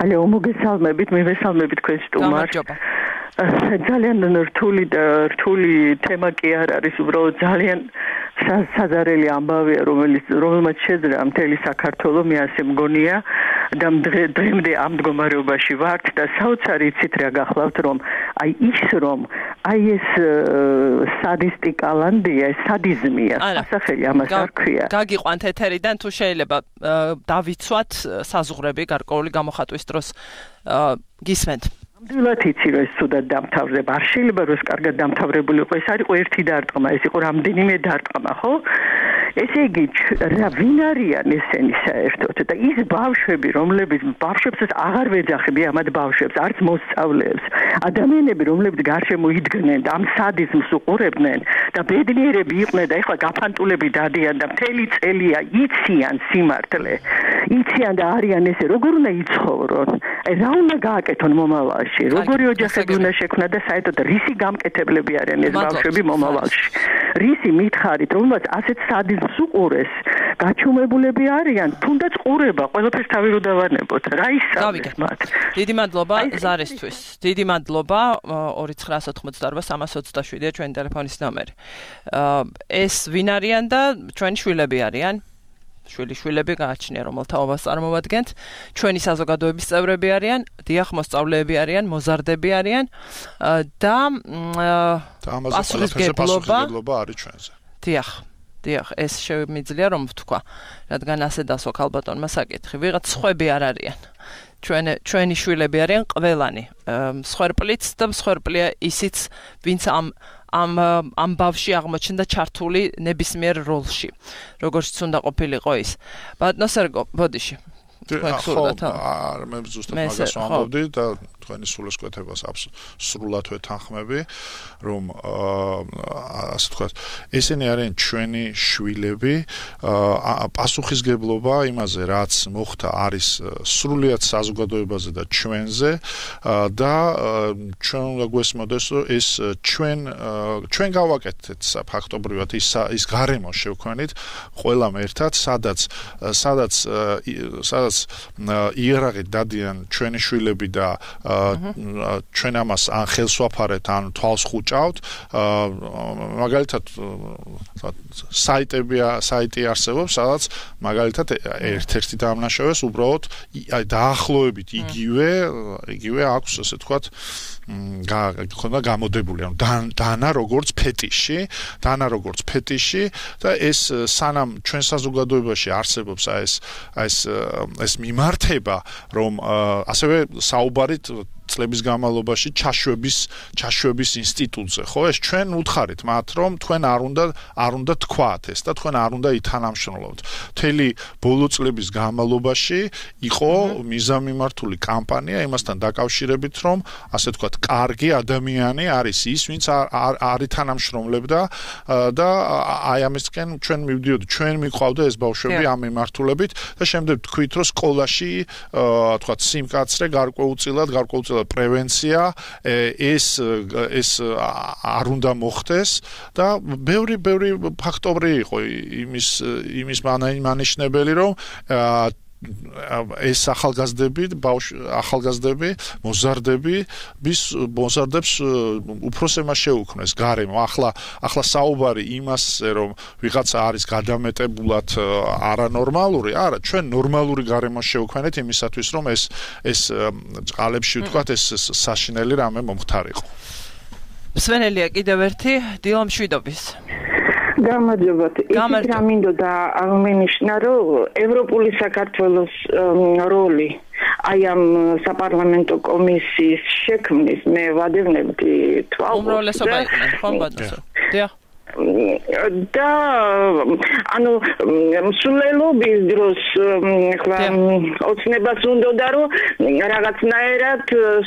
ალო მოგესალმებით მივესალმებით თქვენ სტუმარს გამარჯობა ძალიან რთული და რთული თემა კი არ არის უბრალოდ ძალიან საზარელი ამბავია რომელიც რომელმაც შეძლია მთელი საქართველო მე ასე მგონია და დღემდე ამ მდგომარეობაში ვართ და საოცარი იცით რა გახლავთ რომ აი ის რომ აი ეს სადისტი კალანდია სადიზმია ასახელი ამას არ ქვია გაგიყვანთ ეთერიდან თუ შეიძლება დავიცვათ საზღვრები გარკვეული გამოხატვის დროს გისმენთ ნამდვილად იცი რომ ეს ცუდად დამთავრდება. არ შეიძლება რომ ეს კარგად დამთავრებული იყო. ეს არ იყო ერთი დარტყმა, ეს იყო რამდენიმე დარტყმა, ხო? ესე იგი, რა ვინ არიან ესენი საერთოდ და ის ბავშვები, რომლებიც ბავშვებსაც აღარ ვეძახები ამათ ბავშვებს, არც მოსწავლეებს, ადამიანები, რომლებიც გარშემო იდგნენ და ამ სადიზმს უყურებდნენ და ბედნიერები იყვნენ და ეხლა გაფანტულები დადიან და მთელი წელია იციან სიმართლე. იციან და არიან ესე, როგორ უნდა იცხოვრონ? აი რა უნდა გააკეთონ მომავალში? როგორი ოჯახები უნდა შექმნან და საერთოდ რისი გამკეთებლები არიან ეს ბავშვები მომავალში? რისი მითხარით, რომელსაც ასეთ სადიზმს უყურეს, გაჩუმებულები არიან, თუნდაც ყურება, ყველაფერს თავი რო დავანებოთ. რა ისწავლეს მათ? დიდი მადლობა ზარისთვის. დიდი მადლობა ორი ცხრა ოთხმოცდაორვა სამას ოცდაშვიდია ჩვენი ტელეფონის ნომერი. ეს ვინ არიან და ჩვენი შვილები არიან? შვილიშვილები გააჩნია, რომელთა ობას წარმოვადგენთ. ჩვენი საზოგადოების წევრები არიან, დიახ, მოსწავლეები არიან, მოზარდები არიან და პასუხისმგებლობა არის ჩვენზე. დიახ, დიახ, ეს შემიძლია რომ ვთქვა, რადგან ასე დასვა ქალბატონმა საკითხი. ვიღაც სხვები არ არიან. ჩვენი ჩვენი შვილები არიან ყველანი. მსხვერპლიც და მსხვერპლია ისიც, ვინც ამ ამ ამ ბავში აღმოჩნდა ჩართული ნებისმიერ როლში. როგორც უნდა ყოფილიყო ის. ბატონო სერგო, ბოდიში. არ მე ზუსტად მაგას ვამბობდი და თქვენი სულისკვეთებას სრულად ვეთანხმები, რომ ასე ვთქვათ, ესენი არიან ჩვენი შვილები, პასუხისგებლობა იმაზე, რაც მოხდა, არის სრულიად საზოგადოებაზე და ჩვენზე და ჩვენ უნდა გვესმოდეს, რომ ეს ჩვენ ჩვენ გავაკეთეთ ფაქტობრივად ის ის გარემო შევქმნით ყველამ ერთად, სადაც სადაც სადაც იერაღით დადიან ჩვენი შვილები და ჩვენ ამას ან ხელს ვაფარეთ, ან თვალს ხუჭავთ. მაგალითად საიტები საიტი არსებობს, სადაც მაგალითად ერთ-ერთი დამნაშავეს უბრალოდ აი დაახლოებით იგივე იგივე აქვს, ასე ვთქვათ, გქონდა გამოდებული, ანუ დანა როგორც ფეტიში, დანა როგორც ფეტიში და ეს სანამ ჩვენ საზოგადოებაში არსებობს აი ეს ეს ეს მიმართება, რომ ასევე საუბარით წლების განმავლობაში ჩაშვების ჩაშვების ინსტიტუტზე, ხო? ეს ჩვენ უთხარით მათ, რომ თქვენ არ უნდა არ უნდა თქვათ ეს და თქვენ არ უნდა ითანამშრომლოთ. მთელი ბოლო წლების განმავლობაში იყო მიზანმიმართული კამპანია იმასთან დაკავშირებით, რომ ასე ვთქვათ, კარგი ადამიანი არის ის, ვინც არ ითანამშრომლებდა და აი ამისკენ ჩვენ მივდიოდი, ჩვენ მიყვავდა ეს ბავშვები ამ მიმართულებით და შემდეგ თქვით, რომ სკოლაში ვთქვათ, სიმკაცრე გარკვეულწილად გარკვეულწილად პრევენცია ეს ეს არ უნდა მოხდეს და ბევრი ბევრი ფაქტორი იყო იმის იმის მანიშნებელი, რომ ეს ახალგაზრდები, ახალგაზრდები, მოზარდები, bis მოზარდებს უფროსემა შეუქმნეს გარემო. ახლა ახლა საუბარი იმასზე, რომ ვიღაცა არის გადამეტებულად არანორმალური, არა, ჩვენ ნორმალური გარემო შევქმნეთ იმისათვის, რომ ეს ეს წყალებში ვთქვათ, ეს საშინელი რამე მომხდარიყო. მსვენელია კიდევ ერთი დილა მშვიდობის. გამარჯობათ. ისიც რა მინდოდა აღმენიშნა, რომ ევროპული საქართველოს როლი აი ამ საპარლამენტო კომისიის შექმნის მე ვადევნებდი თვალს. უმრავლესობა იყვნენ, ხო ბატონო? დიახ. და ანუ მსვლელობის დროს ხლა ოცნებას უნდოდა, რომ რაღაცნაირად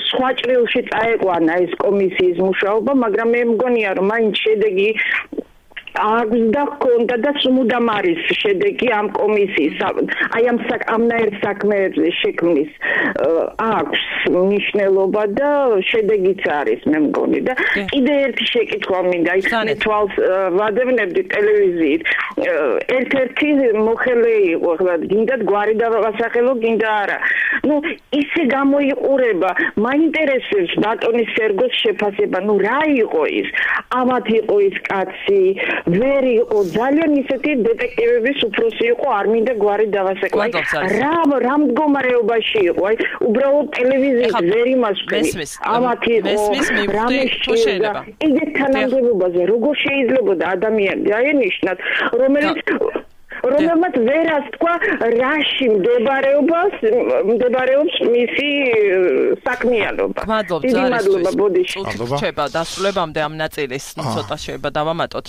სხვა ჭრილში წაეყვანა ეს კომისიის მუშაობა, მაგრამ მე მგონია, რომ მაინც შედეგი აქვს და ჰქონდა და სულ არის შედეგი ამ კომისიის აი ამ ამნაირ საქმეებზე შექმნის აქვს მნიშვნელობა და შედეგიც არის მე მგონი და კიდე ერთი შეკითხვა მინდა ის მე თვალს ვადევნებდი ტელევიზიით ერთ-ერთი მოხელე იყო ხლა გინდა გვარი დავასახელო გინდა არა ну ისე გამოიყურება მაინტერესებს ბატონის სერგოს შეფასება ну რა იყო ის ამათ იყო ის კაცი ვერ იყო ძალიან ისეთი დეტექტივების უფროსი იყო არ მინდა გვარი დავასეკვე რა რა მდგომარეობაში იყო აი უბრალოდ ტელევიზიით ვერ იმასვენი ამათ იყო რამე შეიძლება ეგეთ თანამდებობაზე როგორ შეიძლებოდა ადამიანს დაენიშნათ რომელიც რომელმაც ვერას თქვა რაში მდებარეობს მდებარეობს მისი საქმიანობა. დიდი მადლობა ბოდიში. რჩება დასრულებამდე ამ ნაწილის, ნუ ცოტა შეიძლება დავამატოთ.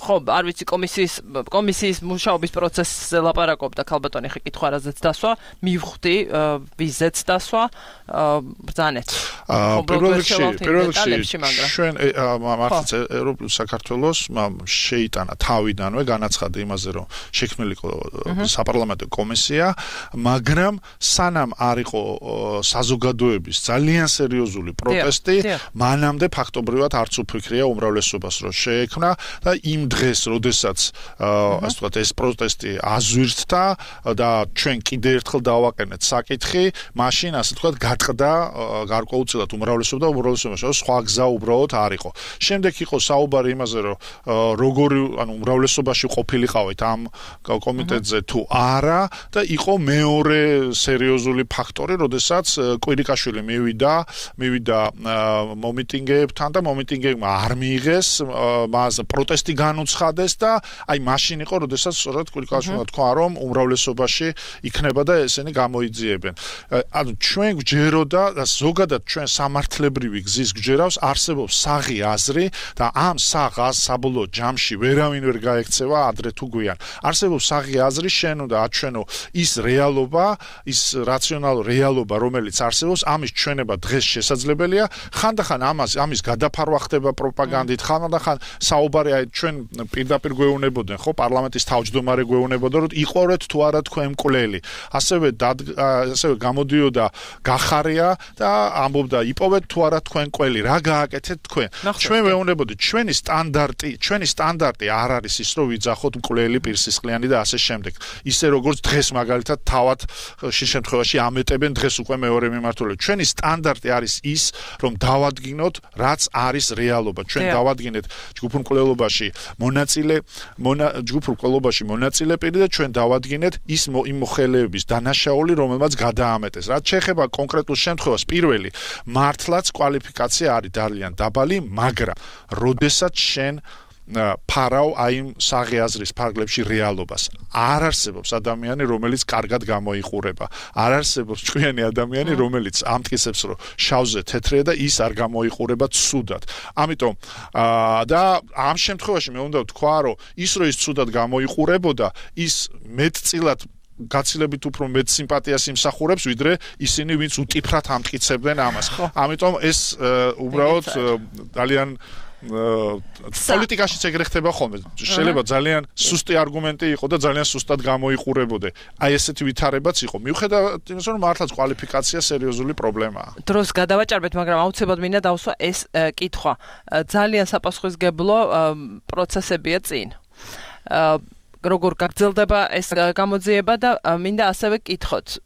ხო, არ ვიცი კომისიის კომისიის მუშაობის პროცესზე ლაპარაკობდა ქალბატონი ხე კითხვა რაზეც დასვა, მივხვდი ვიზეც დასვა, ბრძანეთ. პირველ რიგში, პირველ რიგში ჩვენ მართლაც ევროპულ საქართველოს შეიტანა თავიდანვე განაცხადა იმაზე, რომ შექმნილი იყო საპარლამენტო კომისია, მაგრამ სანამ არ იყო საზოგადოების ძალიან სერიოზული პროტესტი, მანამდე ფაქტობრივად არც უფიქრია უმრავლესობას რომ შეექმნა და იმ დღეს, როდესაც ასე ვთქვათ, ეს პროტესტი აზვირთდა და ჩვენ კიდე ერთხელ დავაყენეთ საკითხი, მაშინ ასე ვთქვათ, გატყდა გარკვეულწილად უმრავლესობა და უმრავლესობაში სხვა გზა უბრალოდ არ იყო. შემდეგ იყო საუბარი იმაზე, რომ როგორი, ანუ უმრავლესობაში ყოფილიყავით ამ კომიტეტზე თუ არა და იყო მეორე სერიოზული ფაქტორი, როდესაც კვირიკაშვილი მივიდა, მივიდა მომიტინგეებთან და მომიტინგეებმა არ მიიღეს, მას პროტესტი განუცხადეს და აი მაშინ იყო, როდესაც სწორედ კვირიკაშვილმა თქვა, რომ უმრავლესობაში იქნება და ესენი გამოიძიებენ. ანუ ჩვენ გვჯეროდა და ზოგადად ჩვენ სამართლებრივი გზის გვჯერავს, არსებობს საღი აზრი და ამ საღ აზრს საბოლოო ჯამში ვერავინ ვერ გაექცევა ადრე თუ გვიან. არსებობს საღი აზრი, შენ უნდა აჩვენო ის რეალობა, ის რაციონალური რეალობა, რომელიც არსებობს, ამის ჩვენება დღეს შესაძლებელია. ხანდახან ამას ამის გადაფარვა ხდება პროპაგანდით, ხანდახან საუბარი აი ჩვენ პირდაპირ გვეუბნებოდნენ, ხო, პარლამენტის თავმჯდომარე გვეუბნებოდა, რომ იყორეთ თუ არა თქვენ მკვლელი. ასევე ასევე გამოდიოდა გახარია და ამბობდა, იპოვეთ თუ არა თქვენ მკვლელი, რა გააკეთეთ თქვენ. ჩვენ ვეუბნებოდით, ჩვენი სტანდარტი, ჩვენი სტანდარტი არ არის ის, რომ ვიძახოთ მკვლელი პირსისხლიანი და ასე შემდეგ. ისე როგორც დღეს მაგალითად თავად ხშირ შემთხვევაში ამეტებენ დღეს უკვე მეორე მიმართულებით. ჩვენი სტანდარტი არის ის, რომ დავადგინოთ, რაც არის რეალობა. ჩვენ დავადგინეთ ჯგუფურ მკვლელობაში მონაწილე, ჯგუფურ მკვლელობაში მონაწილე პირი და ჩვენ დავადგინეთ ის იმ მოხელეების დანაშაული, რომელმაც გადაამეტეს. რაც შეეხება კონკრეტულ შემთხვევას, პირველი მართლაც კვალიფიკაცია არის ძალიან დაბალი, მაგრამ როდესაც შენ ფარავ აი იმ საღი აზრის ფარგლებში რეალობას. არ არსებობს ადამიანი, რომელიც კარგად გამოიყურება. არ არსებობს ჭკვიანი ადამიანი, რომელიც ამტკიცებს, რომ შავზე თეთრია და ის არ გამოიყურება ცუდად. ამიტომ და ამ შემთხვევაში მე უნდა ვთქვა, რომ ის რო ის ცუდად გამოიყურებოდა, ის მეტწილად გაცილებით უფრო მეტ სიმპათიას იმსახურებს, ვიდრე ისინი, ვინც უტიფრად ამტკიცებდნენ ამას. ამიტომ ეს უბრალოდ ძალიან პოლიტიკაშიც ეგრე ხდება ხოლმე. შეიძლება ძალიან სუსტი არგუმენტი იყო და ძალიან სუსტად გამოიყურებოდა. აი ესეთი ვითარებაც იყო. მიუხედავად იმისა, რომ მართლაც კვალიფიკაცია სერიოზული პრობლემაა. დროს გადავაჭარბეთ, მაგრამ აუცილებლად მინდა დავსვა ეს კითხვა. ძალიან საპასუხისმგებლო პროცესებია წინ. როგორ გაგრძელდება ეს გამოძიება და მინდა ასევე კითხოთ.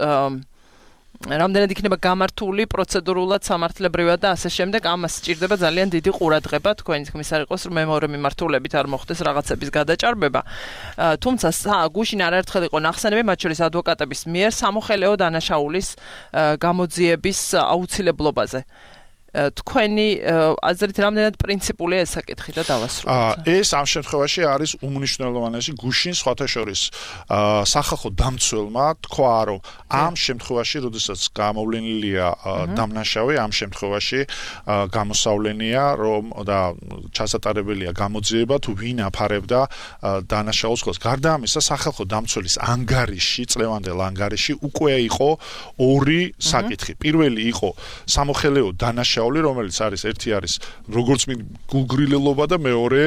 რამდენად იქნება გამართული პროცედურულად, სამართლებრივად და ასე შემდეგ, ამას სჭირდება ძალიან დიდი ყურადღება. თქვენი თქმის არ იყოს, რომ მეორე მიმართულებით არ მოხდეს რაღაცების გადაჭარბება. თუმცა გუშინ არაერთხელ იყო ნახსენები, მათ შორის ადვოკატების მიერ სამოხელეო დანაშაულის გამოძიების აუცილებლობაზე. თქვენი აზრით რამდენად პრინციპულია ეს საკითხი და დავასრულოთ. ეს ამ შემთხვევაში არის უმნიშვნელოვანესი. გუშინ სხვათა შორის სახალხო დამცველმა თქვა, რომ ამ შემთხვევაში, როდესაც გამოვლენილია დამნაშავე, ამ შემთხვევაში გამოსავლენია, რომ და ჩასატარებელია გამოძიება თუ ვინ აფარებდა დანაშაულს ხოლმე. გარდა ამისა, სახალხო დამცველის ანგარიში, წლევანდელ ანგარიში უკვე იყო ორი საკითხი. პირველი იყო სამოხელეო დანაშაული, რომელიც არის ერთი არის როგორც მით გულგრილელობა და მეორე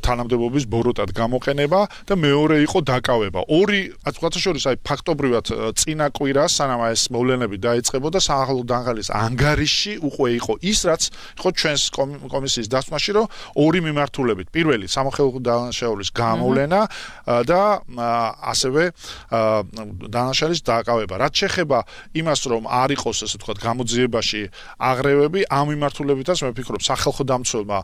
თანამდებობის ბოროტად გამოყენება და მეორე იყო დაკავება. ორი ასე შორის აი ფაქტობრივად წინა კვირას სანამ ეს მოვლენები დაიწყებოდა სახალხო დამცველის ანგარიში უკვე იყო ის რაც იყო ჩვენს კომისიის დასმაში, რომ ორი მიმართულებით. პირველი სამოხელეო დანაშაულის გამოვლენა და ასევე დანაშაულის დაკავება. რაც შეეხება იმას, რომ არ იყოს ასე ვთქვათ გამოძიებაში აღრევები, ამ მიმართულებითაც მე ვფიქრობ სახალხო დამცველმა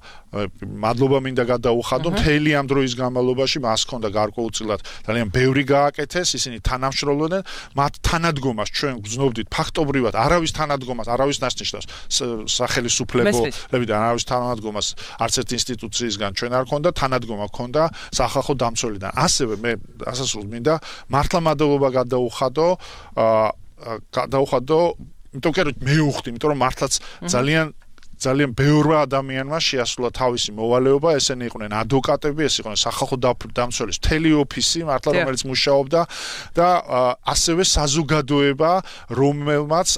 მადლობა მინდა გადაუხადო მთელი ამ დროის განმავლობაში მას ჰქონდა გარკვეულწილად ძალიან ბევრი გააკეთეს ისინი თანამშრომლობდნენ მათ თანადგომას ჩვენ გრძნობდით ფაქტობრივად არავის თანადგომას არავის ნაცნიშნავს სახელმწიფოებლებიდან არავის თანადგომას არც ერთ ინსტიტუციისგან ჩვენ არ ჰქონდა თანადგომა ჰქონდა სახალხო დამცველიდან ასევე მე ასასრულ მინდა მართლა მადლობა გადაუხადო გადაუხადო იმიტომ რომ მე ვუხდი იმიტომ რომ მართლაც ძალიან ძალიან ბევრმა ადამიანმა შეასრულა თავისი მოვალეობა, ესენი იყვნენ ადვოკატები, ეს იყვნენ სახალხო დამცველის მთელი ოფისი, მართლა რომელიც მუშაობდა და ასევე საზოგადოება, რომელმაც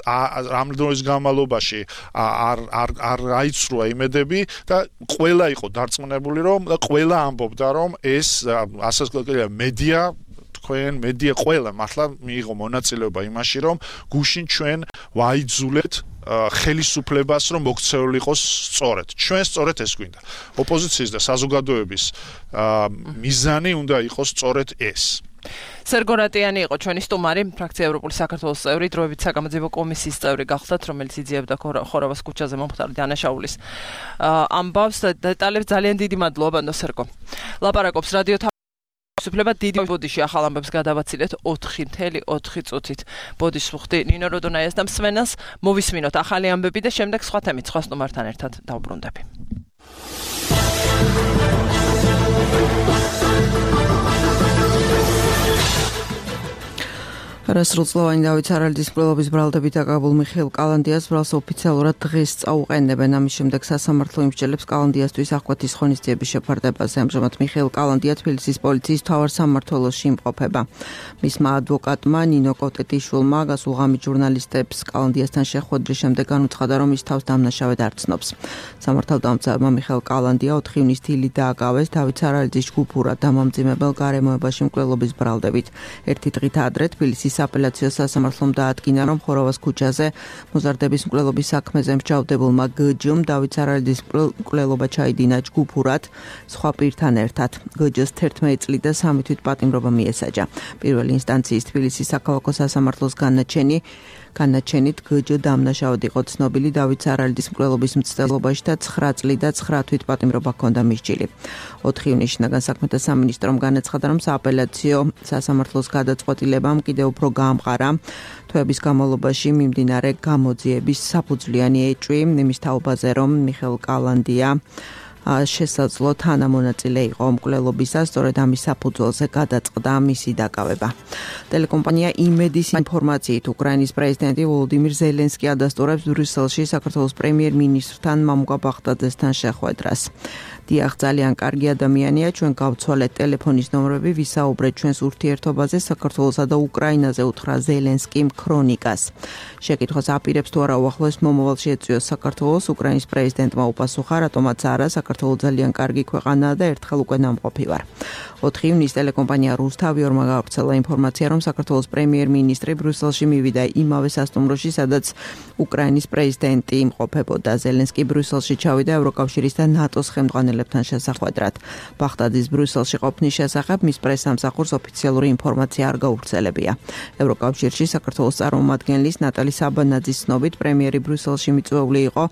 რამოდენობის განმავლობაში არ არ არ აიცრუა იმედები და ყველა იყო დარწმუნებული, რომ ყველა ამბობდა, რომ ეს ასაკობრივი მედია თქვენ მედია ყველა მართლა მიიღო მონაწილეობა იმაში, რომ გუშინ ჩვენ ვაიძულეთ ხელისუფლებას რომ მოქცეული იყოს სწორედ. ჩვენ სწორედ ეს გვინდა. ოპოზიციის და საზოგადოების მიზანი უნდა იყოს სწორედ ეს. სერგო რატიანი იყო ჩვენი სტუმარი, ფრაქცია ევროპული საქართველოს წევრი, დროებით საგამოძიებო კომისიის წევრი გახლდათ, რომელიც იძიებდა ხორავას ქუჩაზე მომხდარი დანაშაულის ამბავს. დეტალებს ძალიან დიდი მადლობა, ბანდო სერგო. ლაპარაკობს რადიო სუფლება დიდი ბოდიში ახალ ამბებს გადავაცილეთ ოთხი წუთით ოთხი წუთით. ბოდიშს ვხვდი ნინო როდონაიას და მსმენელს მოვისმინოთ ახალი ამბები და შემდეგ სხვა თემით სხვა სტუმართან ერთად დავბრუნდები. რასრულწლოვანი დავით სარალიძის მკვლელობის ბრალდებით დაკავებულ მიხეილ კალანდიას ბრალს ოფიციალურად დღეს წაუყენებენ. ამის შემდეგ სასამართლო იმსჯელებს კალანდიასთვის აღკვეთის ღონისძიების შეფარდებაზე. ამჟამად მიხეილ კალანდია თბილისის პოლიციის მთავარ სამმართველოში იმყოფება. მისმა ადვოკატმა ნინო კოტეტიშვილმა გასულღამით ჟურნალისტებს კალანდიასთან შეხვედრის შემდეგ განუცხადა, რომ ის თავს დამნაშავედ არ ცნობს. სამართალდამცავმა მიხეილ კალანდია ოთხი ივნის დილით დააკავეს დავით სარალიძის ჯგუფურად დამამძიმებელ გარემოებაში მკვლელობის ბრალდებით. ერთი დღით ადრე თბილისის აპელაციო სასამართლომ დაადგინა, რომ ხორავას ქუჩაზე მოზარდების მკვლელობის საქმეზე მსჯავრდებულმა გჯ-მ დავით სარალიძის მკვლელობა ჩაიდინა ჯგუფურად სხვა პირთან ერთად. გჯ-ს თერთმეტი წლით და სამი თვით პატიმრობა მიესაჯა. პირველი ინსტანციის თბილისის საქალაქო სასამართლოს განაჩენი განაჩენით გჯ დამნაშავედ იყო ცნობილი დავით სარალიძის მკვლელობის მცდელობაში და ცხრა წლით და ცხრა თვით პატიმრობა ჰქონდა მისჯილი. ოთხი ივნის შინაგან საქმეთა სამინისტრომ განაცხადა, რომ სააპელაციო სასამართლოს გადაწყვეტილებამ კიდევ უფრო გაამყარა თვეების განმავლობაში მიმდინარე გამოძიების საფუძვლიანი ეჭვი იმის თაობაზე, რომ მიხეილ კალანდია შესაძლო თანამონაწილე იყო მკვლელობისას, სწორედ ამის საფუძველზე გადაწყდა მისი დაკავება. ტელეკომპანია იმედის ინფორმაციით უკრაინის პრეზიდენტი ვოლოდიმირ ზელენსკი ადასტურებს ბრიუსელში საქართველოს პრემიერ-მინისტრთან მამუკა ბაღდაძესთან შეხვედრას. დიახ, ძალიან კარგი ადამიანია, ჩვენ გავცვალეთ ტელეფონის ნომრები, ვისაუბრეთ ჩვენს ურთიერთობაზე საქართველოსა და უკრაინაზე, უთხრა ზელენსკიმ ქრონიკას. შეკითხვას აპირებს თუ არა უახლოეს მომავალში ეწვიოს საქართველოს, უკრაინის პრეზიდენტმა უპასუხა, რატომაც არა, საქართველო ძალიან კარგი ქვეყანაა და ერთხელ უკვე ნამყოფი ვარ. ოთხი ივნის ტელეკომპანია რუსთავიორმა გავრცელა ინფორმაცია, რომ საქართველოს პრემიერ-მინისტრი ბრიუსელში მივიდა იმავე სასტუმროში, სადაც უკრაინის პრეზიდენტი იმყოფებოდა. ზელენსკი ბრიუსელში ჩავიდა ევროკავშირის და ნატოს ხელმძღვანელებთან შესახვედრად. ბაღდადის ბრიუსელში ყოფნის შესახებ მის პრესსამსახურს ოფიციალური ინფორმაცია არ გავრცელებია. ევროკავშირში საქართველოს წარმომადგენლის ნატალი საბანაძის ცნობით პრემიერი ბრიუსელში მიწვეული იყო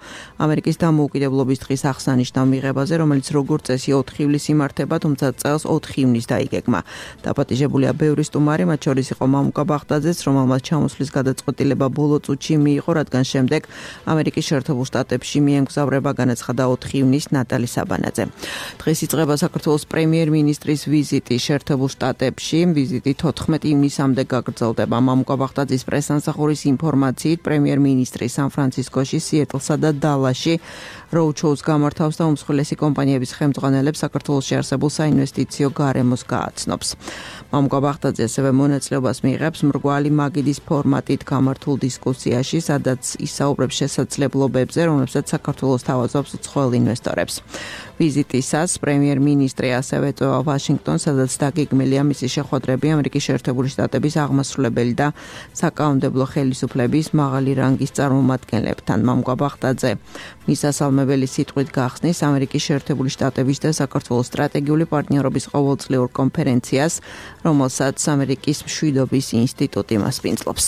ამერიკის დამოუკიდებლობის დღის აღსანიშნავ მიღებაზე, რომელიც როგორც წესი ოთხი ივლისს იმართება, თუმცა წელს ოთხი ივნის დაიგეგმა. დაპატიჟებულია ბევრი სტუმარი, მათ შორის იყო მამუკა ბაღდაძეც, რომელმაც ჩამოსვლის გადაწყვეტილება ბოლო წუთში მიიღო, რადგან შემდეგ ამერიკის შეერთებულ შტატებში მიემგზავრება, განაცხადა ოთხი ივნის ნატალი საბანაძე. დღეს იწყება საქართველოს პრემიერ-მინისტრის ვიზიტი შეერთებულ შტატებში. ვიზიტი თოთხმეტი ივნისამდე გაგრძელდება. მამუკა ბაღდაძის პრესსამსახურის ინფორმაციით, პრემიერ-მინისტრი სან-ფრანცისკოში, სიეტლსა და დალასში როუდ-შოუს გამართავს და უმსხვილესი კომპანიების ხელმძღვანელებს საქართველოში არსებულ საინვესტიციო გარემოს გააცნობს. მამუკა ბაღდაძე ასევე მონაწილეობას მიიღებს მრგვალი მაგიდის ფორმატით გამართულ დისკუსიაში, სადაც ისაუბრებს შესაძლებლობებზე, რომლებსაც საქართველოს თავაზობს უცხოელ ინვესტორებს. ვიზიტისას პრემიერ-მინისტრი ასევე ეწვევა ვაშინგტონს, სადაც დაგეგმილია მისი შეხვედრები ამერიკის შეერთებული შტატების აღმასრულებელი და საკანონმდებლო ხელისუფლების მაღალი რანგის წარმომადგენლებთან. მამუკა ბაღდაძე მისასალმებელი სიტყვით გახსნის ამერიკის შეერთებული შტატების და საქართველოს სტრატეგიული პარტნიორობის ყოველწლიურ კონფერენციას, რომელსაც ამერიკის მშვიდობის ინსტიტუტი მასპინძლობს.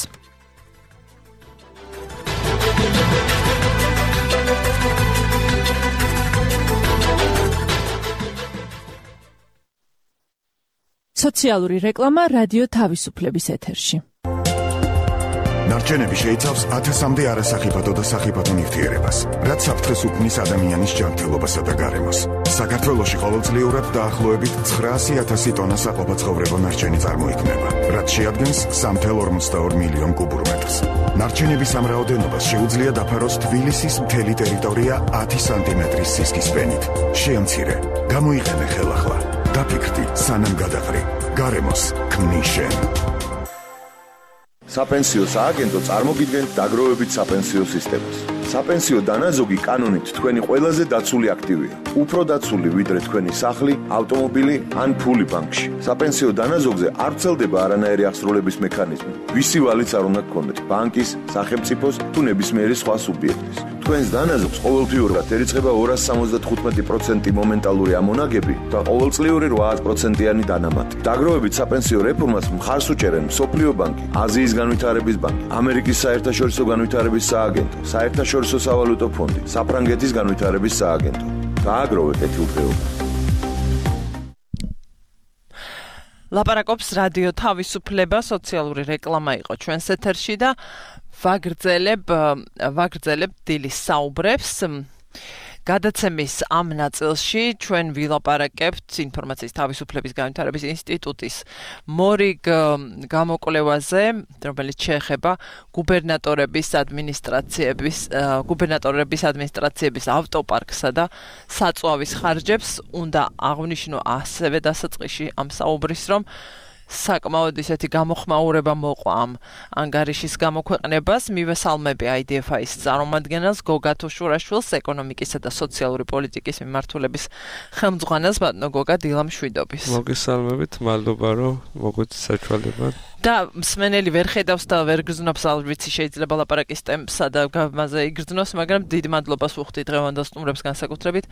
სოციალური რეკლამა რადიო თავისუფლების ეთერში. ნარჩენები შეიცავს ათასამდე არასახიფათო და სახიფათო ნივთიერებას, რაც საფრთხეს უქმნის ადამიანის ჯანმრთელობასა და გარემოს. საქართველოში ყოველწლიურად დაახლოებით ცხრაასი ათასი ტონა საყოფაცხოვრებო ნარჩენი წარმოიქმნება, რაც შეადგენს სამი წუთი ორმოცდაორი მილიონი კუბურ მეტრს. ნარჩენების ამ რაოდენობას შეუძლია დაფაროს თბილისის მთელი ტერიტორია ათი სანტიმეტრის სისქის ფენით. შეამცირე, გამოიყენე ხელახლა. დაფიქრდი, სანამ გადაყრი. გარემოს ქმნის შენ. საპენსიო სააგენტო წარმოგიდგენთ დაგროვებით საპენსიო სისტემას. საპენსიო დანაზოგი კანონით თქვენი ყველაზე დაცული აქტივია. უფრო დაცული ვიდრე თქვენი სახლი, ავტომობილი ან ფული ბანკში. საპენსიო დანაზოგზე არ ვრცელდება არანაირი აღსრულების მექანიზმი. ვისი ვალიც არ უნდა გქონდეთ, ბანკის, სახელმწიფოს თუ ნებისმიერი სხვა სუბიექტის. თქვენს დანაზოგს ყოველთვიურად ერიცხება ორასი სამოცდათხუთმეტი პროცენტი მომენტალური ამონაგები და ყოველწლიური რვაათ პროცენტიანი დანამატი. დაგროვებით საპენსიო რეფორმას მხარს უჭერენ მსოფლიო ბანკი, აზიის განვითარების ბანკი, ამერიკის საერთაშორისო განვითარების სააგენტო, საერთაშორისო სავალუტო ფონდი, საფრანგეთის განვითარების სააგენტო. დააგროვეთ ეთილდღეობა. ლაპარაკობს რადიო თავისუფლება, სოციალური რეკლამა იყო ჩვენს ეთერში და ვაგრძელებ ვაგრძელებ დილის საუბრებს. გადაცემის ამ ნაწილში ჩვენ ვილაპარაკებთ ინფორმაციის თავისუფლების განვითარების ინსტიტუტის მორიგ გამოკვლევაზე, რომელიც შეეხება გუბერნატორების ადმინისტრაციების გუბერნატორების ადმინისტრაციების ავტოპარკსა და საწვავის ხარჯებს. უნდა აღვნიშნო ასევე დასაწყისში ამ საუბრის, რომ საკმაოდ ისეთი გამოხმაურება მოყვა ამ ანგარიშის გამოქვეყნებას. მივესალმები აი დი ეფ აის წარმომადგენელს გოგა თუშურაშვილს, ეკონომიკისა და სოციალური პოლიტიკის მიმართულების ხელმძღვანელს ბატონო გოგა დილამშვიდობის. მოგესალმებით, მადლობა რომ მოგვიწევთ საშუალება. და მსმენელი ვერ ხედავს და ვერ გრძნობს, ალბათ შეიძლება ლაპარაკის ტემპსა და გამაზე იგრძნოს, მაგრამ დიდ მადლობას ვუხდი დღევანდელ სტუმრებს განსაკუთრებით.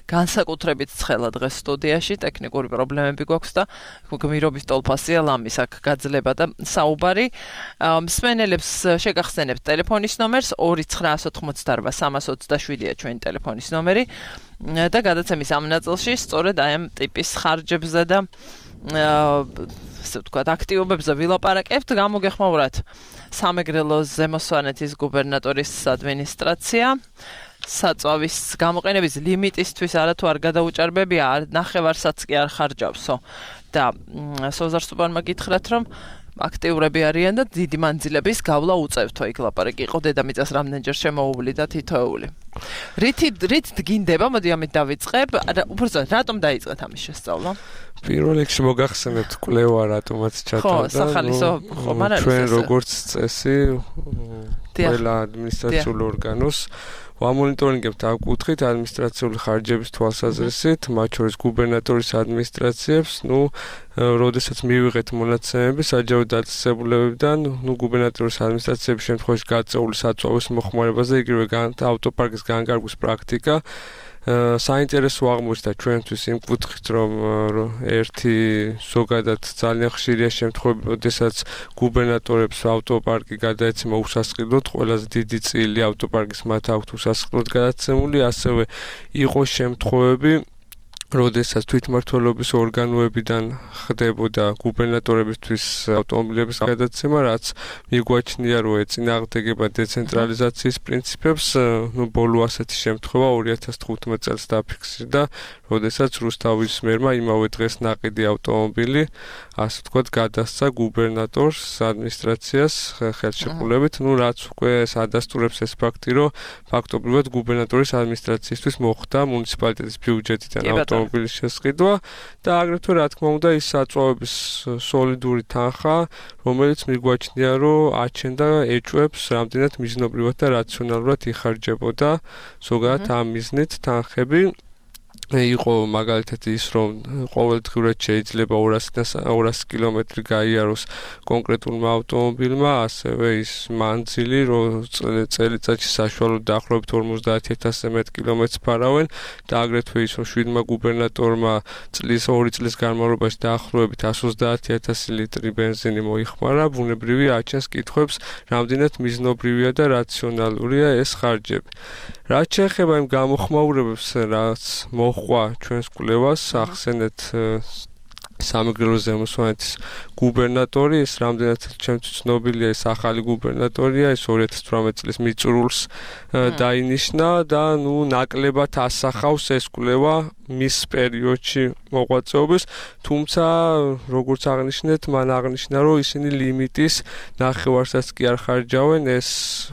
განსაკუთრებით ცხელა დღეს სტუდიაში, ტექნიკური პრობლემები გვაქვს და გმირობის ტოლფასია ლამის აქ გაძლება და საუბარი. მსმენელებს შეგახსენებთ ტელეფონის ნომერს ორი ცხრაასი ოთხმოცდაორბა სამას ოცდაშვიდია ჩვენი ტელეფონის ნომერი და გადაცემის ამ ნაწილში სწორედ აი ამ ტიპის ხარჯებზე და ასე ვთქვათ, აქტივობებზე ვილაპარაკებთ. გამოგეხმაურათ სამეგრელოს ზემოსვანეთის გუბერნატორის ადმინისტრაცია. საწვავის გამოყენების ლიმიტისთვის არათუ არ გადაუჭარბებია, ნახევარსაც კი არ ხარჯავსო. და სოზარ სუპარმა გითხრათ, რომ აქტიურები არიან და დიდი მანძილების გავლა უწევთო. იქ ლაპარაკი იყო დედამიწას რამდენჯერ შემოუვლი და თითოეული. რითი რით დგინდება? მოდი ამით დავიწყებ. უბრალოდ რატომ დაიწყეთ ამის შესწავლა? პირველ რიგში მოგახსენებთ კვლევა რატომაც ჩატარდა. ხო, სახალისო ხომ არ არის. ჩვენ როგორც წესი ყველა ადმინისტრაციულ ორგანოს ვამონიტორინგებთ ამ კუთხით ადმინისტრაციული ხარჯების თვალსაზრისით, მათ შორის გუბერნატორის ადმინისტრაციებს, ნუ როდესაც მივიღეთ მონაცემები საჯარო დაწესებულებებიდან, ნუ გუბერნატორის ადმინისტრაციების შემთხვევაში გაწეული საწვავის მოხმარებაზე, იგივე ავტოპარკის განკარგვის პრაქტიკა. საინტერესო აღმოჩნდა ჩვენთვის იმ კუთხით, რომ ერთი ზოგადად ძალიან ხშირია შემთხვევები, როდესაც გუბერნატორებს ავტოპარკი გადაეცემა უსასყიდლოდ, ყველაზე დიდი წილი ავტოპარკის მათ აქვთ უსასყიდლოდ გადაცემული, ასევე იყო შემთხვევები, როდესაც თვითმმართველობის ორგანოებიდან ხდებოდა გუბერნატორებისთვის ავტომობილების გადაცემა, რაც მიგვაჩნია, რომ ეწინააღმდეგება დეცენტრალიზაციის პრინციპებს. ნუ ბოლო ასეთი შემთხვევა ორი ათას თხუთმეტ წელს დაფიქსირდა, როდესაც რუსთავის მერმა იმავე დღეს ნაყიდი ავტომობილი, ასე ვთქვათ, გადასცა გუბერნატორს ადმინისტრაციას ხელშეკრულებით, ნუ რაც უკვე ადასტურებს ეს ფაქტი, რომ ფაქტობრივად გუბერნატორის ადმინისტრაციისთვის მოხდა მუნიციპალიტეტის ბიუჯეტიდან ავტომობილის შესყიდვა და აგრეთვე რა თქმა უნდა ის საწვავების სოლიდური თანხა, რომელიც მიგვაჩნია, რომ აჩენდა ეჭვებს რამდენად მიზნობრივად და რაციონალურად იხარჯებოდა ზოგადად ამ მიზნით თანხები. იყო მაგალითად ის, რომ ყოველდღიურად შეიძლება ორასი კილომეტრი გაიაროს კონკრეტულმა ავტომობილმა, ასევე ის მანძილი, რომ წელიწადში საშუალოდ დაახლოებით ორმოცდაათი ათასზე მეტ კილომეტრს ფარავენ და აგრეთვე ის, რომ შვიდმა გუბერნატორმა წლის ორი წლის განმავლობაში დაახლოებით εκατს ოცდაათი ათასი ლიტრი ბენზინი მოიხმარა, ბუნებრივი აჩენს კითხვებს, რამდენად მიზნობრივია და რაციონალურია ეს ხარჯები. რაც შეეხება იმ გამოხმაურებებს, რაც მოხდა ჩვენს კვლევას, ახსენეთ სამეგრელო ზემოსვანეთის გუბერნატორი, ეს რამდენად ჩემთვის ცნობილია, ეს ახალი გუბერნატორია, ეს ორი ათას თვრამეტი წლის მიწურულს დაინიშნა და ნუ ნაკლებად ასახავს ეს კვლევა მის პერიოდში მოღვაწეობის, თუმცა როგორც აღნიშნეთ, მან აღნიშნა, რომ ისინი ლიმიტის ნახევარსაც კი არ ხარჯავენ, ეს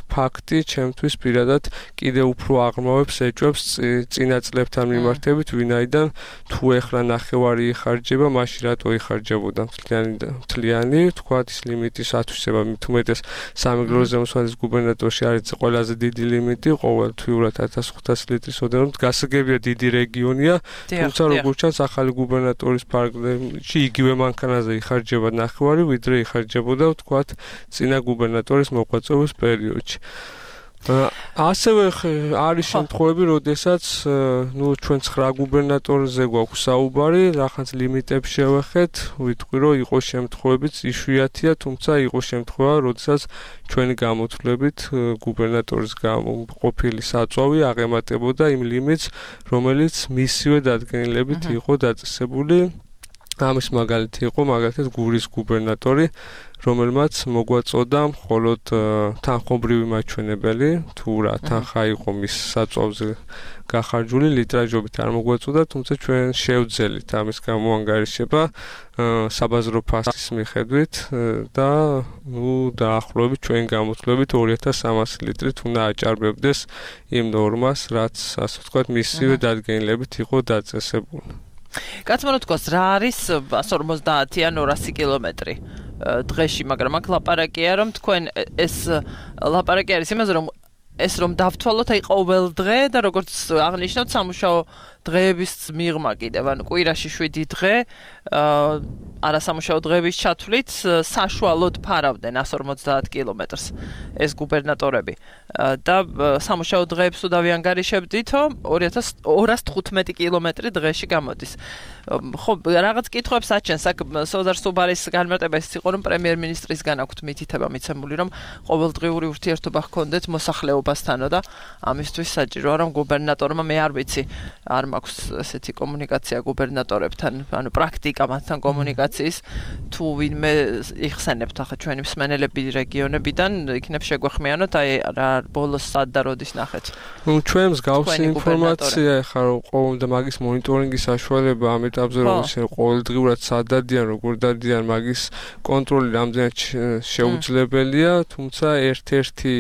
ფაქტი ჩემთვის პირადად კიდევ უფრო აღრმავებს ეჭვებს წინა წლებთან მიმართებით, ვინაიდან თუ ეხლა ნახევარი იხარჯება, მაშინ რატო იხარჯებოდა მთლიანი მთლიანი, თქვათ ის ლიმიტის ათვისება, მით უმეტეს სამეგრელო ზემოსვანეთის გუბერნატორში არის ყველაზე დიდი ლიმიტი, ყოველთვიურად ათას ხუთას ლიტრის ოდენობით, გასაგებია დიდი რეგიონია, თუმცა როგორც ჩანს ახალი გუბერნატორის ფარგლებში იგივე მანქანაზე იხარჯება ნახევარი, ვიდრე იხარჯებოდა თქვათ წინა გუბერნატორის მოღვაწეობის პერიოდში. ასევე არის შემთხვევები, როდესაც ნუ ჩვენ ცხრა გუბერნატორზე გვაქვს საუბარი, რაღაც ლიმიტებს შევეხეთ, ვიტყვი რომ იყო შემთხვევებიც იშვიათია, თუმცა იყო შემთხვევა, როდესაც ჩვენი გამოთვლებით გუბერნატორის ყოფილი საწვავი აღემატებოდა იმ ლიმიტს, რომელიც მისივე დადგენილებით იყო დაწესებული. ამის მაგალითი იყო მაგალითად გურის გუბერნატორი, რომელმაც მოგვაწოდა მხოლოდ თანხმობრივი მაჩვენებელი, თუ რა თანხა იყო მის საწვავზე გახარჯული, ლიტრაჟობით არ მოგვაწოდა, თუმცა ჩვენ შევძელით ამის გამოანგარიშება საბაზრო ფასის მიხედვით და ნუ დაახლოებით ჩვენ გამოთვლებით ორი ათას სამასი ლიტრი უნდა აჭარბებდეს იმ ნორმას, რაც ასე ვთქვათ მისივე დადგენილებით იყო დაწესებული. კაცმა რა თქვას, რა არის εκατს ორმოცდაათი ან ორასი კილომეტრი დღეში, მაგრამ აქ ლაპარაკია, რომ თქვენ ეს ლაპარაკი არის იმაზე, რომ ეს რომ დავთვალოთ აი ყოველ დღე და როგორც აღნიშნავთ სამუშაო დღეების მიღმა კიდევ, ანუ კვირაში შვიდი დღე არასამუშაო დღეების ჩათვლით საშუალოდ ფარავდნენ εκατს ორმოცდაათ კილომეტრს ეს გუბერნატორები და სამუშაო დღეებს უდავიანგარიშებდითო ორი ათას ორასი თხუთმეტი კილომეტრი დღეში გამოდის. ხო, რაღაც კითხვებს აჩენს აქ სოზარ სუბარის განმარტება ის იყო, რომ პრემიერ-მინისტრისგან აქვთ მითითება მიცემული, რომ ყოველდღიური ურთიერთობა ჰქონდეთ მოსახლეობასთანო და ამისთვის საჭიროა, რომ გუბერნატორმა მე არ ვიცი, არ მაქვს ესეთი კომუნიკაცია გუბერნატორებთან, ანუ პრაქტიკა მათთან კომუნიკაციის, თუ ვინმე იხსენებთ ახლა ჩვენი მსმენელები რეგიონებიდან, იქნებ შეგვეხმიანოთ, აი რა ბოლოს სად და როდის ნახეთ. ნუ ჩვენ მსგავსი ინფორმაცია ახლა რომ ყოველდღე მაგის მონიტორინგის საშუალება ამ ეტაპზე რომ ყოველდღიურად სად დადიან, როგორ დადიან, მაგის კონტროლი რამდენად შეუძლებელია, თუმცა ერთ-ერთი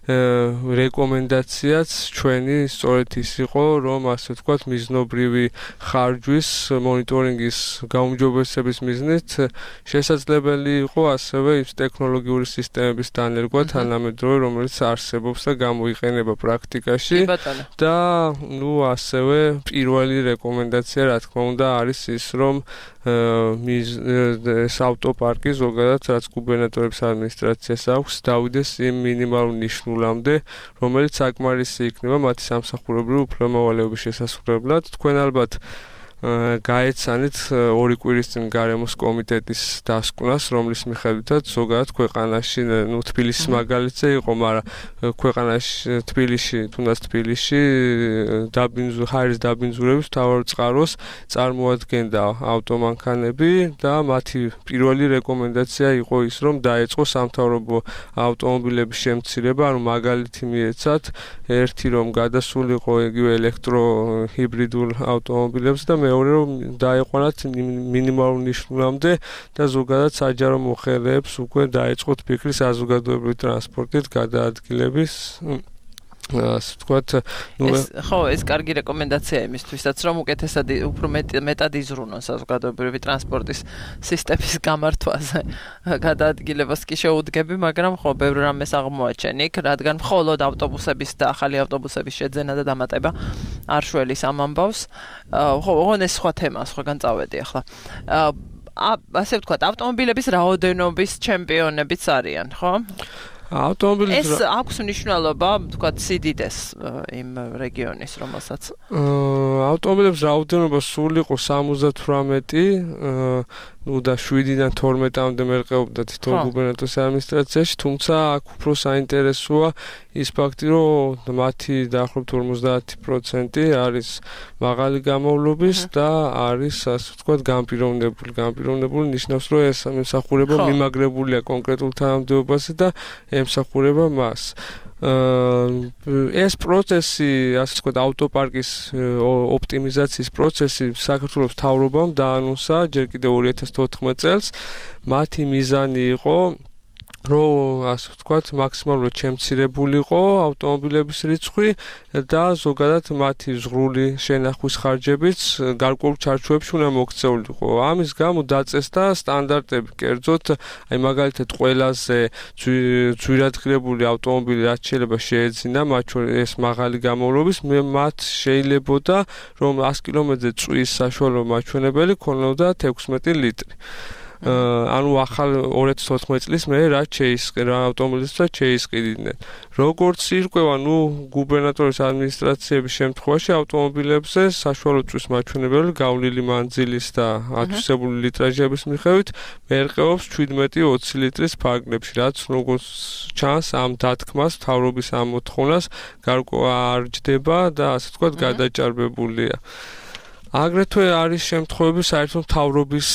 რეკომენდაციაც ჩვენი სწორედ ის იყო, რომ ასე ვთქვათ, მიზნობრივი ხარჯვის მონიტორინგის გაუმჯობესების მიზნით შესაძლებელი იყო ასევე ის ტექნოლოგიური სისტემების დანერგვა თანამედროვე, რომელიც არსებობს და გამოიყენება პრაქტიკაში და ნუ ასევე პირველი რეკომენდაცია, რა თქმა უნდა, არის ის, რომ ეს ავტოპარკი ზოგადად რაც გუბერნატორების ადმინისტრაციას აქვს, დავიდეს იმ მინიმალურ ნიშნულამდე, რომელიც საკმარისი იქნება მათი სამსახურებრივი უფლებამოვალეობის შესასრულებლად. თქვენ ალბათ გაეცანით ორი კვირის წინ გარემოს კომიტეტის დასკვნას, რომლის მიხედვითაც ზოგადად ქვეყანაში, ნუ თბილისის მაგალითზე იყო, მაგრამ ქვეყანაში თბილისში, თუნდაც თბილისში დაბინძ ჰაერის დაბინძურების მთავარ წყაროს წარმოადგენდა ავტომანქანები და მათი პირველი რეკომენდაცია იყო ის, რომ დაეწყო სამთავრობო ავტომობილების შემცირება, ანუ მაგალითი მიეცათ, ერთი რომ გადასულიყო იგივე ელექტროჰიბრიდულ ავტომობილებს და მეორე რომ დაეყვანათ მინიმალურ ნიშნულამდე და ზოგადად საჯარო მოხელეებს უკვე დაეწყოთ ფიქრი საზოგადოებრივი ტრანსპორტით გადაადგილების. ასე ვთქვათ, ნუ ხო, ეს კარგი რეკომენდაცია იმისთვისაც, რომ უკეთესად უფრო მეტად იზრუნონ საზოგადოებრივი ტრანსპორტის სისტემის გამართვაზე გადაადგილებას კი შეუდგები, მაგრამ ხო, ბევრ რამეს აღმოაჩენ იქ, რადგან მხოლოდ ავტობუსების და ახალი ავტობუსების შეძენა და დამატება არ შველის ამ ამბავს. ხო, ოღონდ ეს სხვა თემაა, სხვაგან წავედი ახლა. ასე ვთქვათ, ავტომობილების რაოდენობის ჩემპიონებიც არიან, ხო? ავტომობილის ეს აქვს მნიშვნელობა, ვთქვათ, სიდიდეს იმ რეგიონის, რომელსაც ავტომობილების რაოდენობა სულ იყო სამოცდათვრამეტი ნუ და შვიდიდან თორმეტამდე მერყეობდა თითო გუბერნატორის ადმინისტრაციაში, თუმცა აქ უფრო საინტერესოა ის ფაქტი, რომ მათი დაახლოებით ორმოცდაათი პროცენტი არის მაღალი გამოვლობის და არის ასე ვთქვათ განპირობებული. განპირობებული ნიშნავს, რომ ეს ემსახურება მიმაგრებულია კონკრეტულ თანამდებობაზე და ემსახურება მას. ეს პროცესი, ასე ვთქვათ, ავტოპარკის ოპტიმიზაციის პროცესი საქართველოს მთავრობამ დაანონსა ჯერ კიდევ ორი ათას თოთხმეტ წელს. მათი მიზანი იყო რომ ასე ვთქვათ, მაქსიმალურად შემცირებულიყო ავტომობილების რიცხვი და ზოგადად მათი ზღვრული შენახვის ხარჯებიც გარკვეულ ჩარჩოებში უნდა მოქცეულიყო. ამის გამო დაწესდა სტანდარტები, კერძოდ, აი მაგალითად ყველაზე ძვირადღირებული ავტომობილი რაც შეიძლება შეეძინა, მათ შორის ეს მაღალი გამოვლობის, მათ შეიძლებოდა რომ ას კილომეტრზე წვის საშუალო მაჩვენებელი ქონოდათ ექვსმეტი ლიტრი. ანუ ახალ ორი ათას თოთხმეტ წლის მე რაც შეისყიდა ავტომობილისთვისაც შეისყიდნენ. როგორც ირკვევა, ნუ გუბერნატორის ადმინისტრაციების შემთხვევაში ავტომობილებზე საშუალო წვის მაჩვენებელი გავლილი მანძილის და ათვისებული litraჟების მიხედვით მერყეობს შვიდმეტი ოცი ლიტრის ფარგლებში, რაც როგორც ჩანს ამ დათქმას მთავრობის ამ მოთხოვნას გარკვევა არ ჯდება და ასე ვთქვათ გადაჭარბებულია. აგრეთვე არის შემთხვევები საერთოდ მთავრობის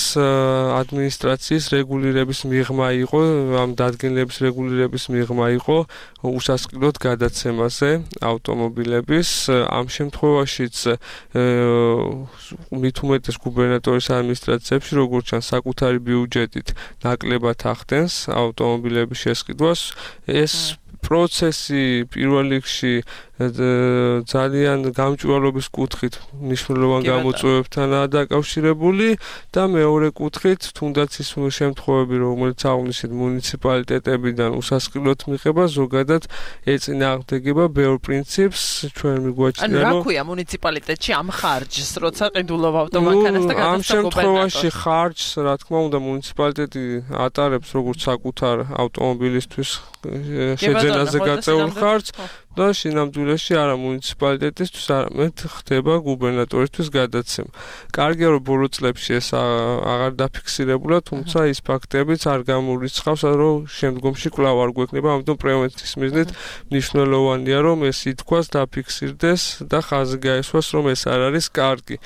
ადმინისტრაციის რეგულირების მიღმა იყო, ამ დადგენილების რეგულირების მიღმა იყო უსასყიდლოდ გადაცემაზე ავტომობილების. ამ შემთხვევაშიც მით უმეტეს გუბერნატორის ადმინისტრაციებში, როგორც ჩანს, საკუთარი ბიუჯეტით ნაკლებად ახდენს ავტომობილების შესყიდვას. ეს პროცესი პირველ რიგში ძალიან გამჭვირვალობის კუთხით მნიშვნელოვან გამოწვევებთანაა დაკავშირებული და მეორე კუთხით თუნდაც ის შემთხვევები, რომელიც აღნიშნეთ მუნიციპალიტეტებიდან უსასყიდლოდ მიღება, ზოგადად ეწინააღმდეგება ბევრ პრინციპს, ჩვენ მიგვაჩნია, რომ ანუ რა ქვია მუნიციპალიტეტში ამ ხარჯს, როცა ყიდულობ ავტომანქანას და გადასცემ ამ შემთხვევაში ხარჯს, რა თქმა უნდა, მუნიციპალიტეტი ატარებს როგორც საკუთარ ავტომობილისთვის შეძენაზე გაწეულ ხარჯს და შინამძულეში არა მუნიციპალიტეტისთვის, არამედ ხდება გუბერნატორისთვის გადაცემა. კარგია, რომ ბოლო წლებში ეს აღარ დაფიქსირებულა, თუმცა ის ფაქტებიც არ გამორიცხავს, რომ შემდგომში კვლავ არ გვექნება, ამიტომ პრევენციის მიზნით მნიშვნელოვანია, რომ ეს ითქვას, დაფიქსირდეს და ხაზი გაესვას, რომ ეს არ არის კარგი.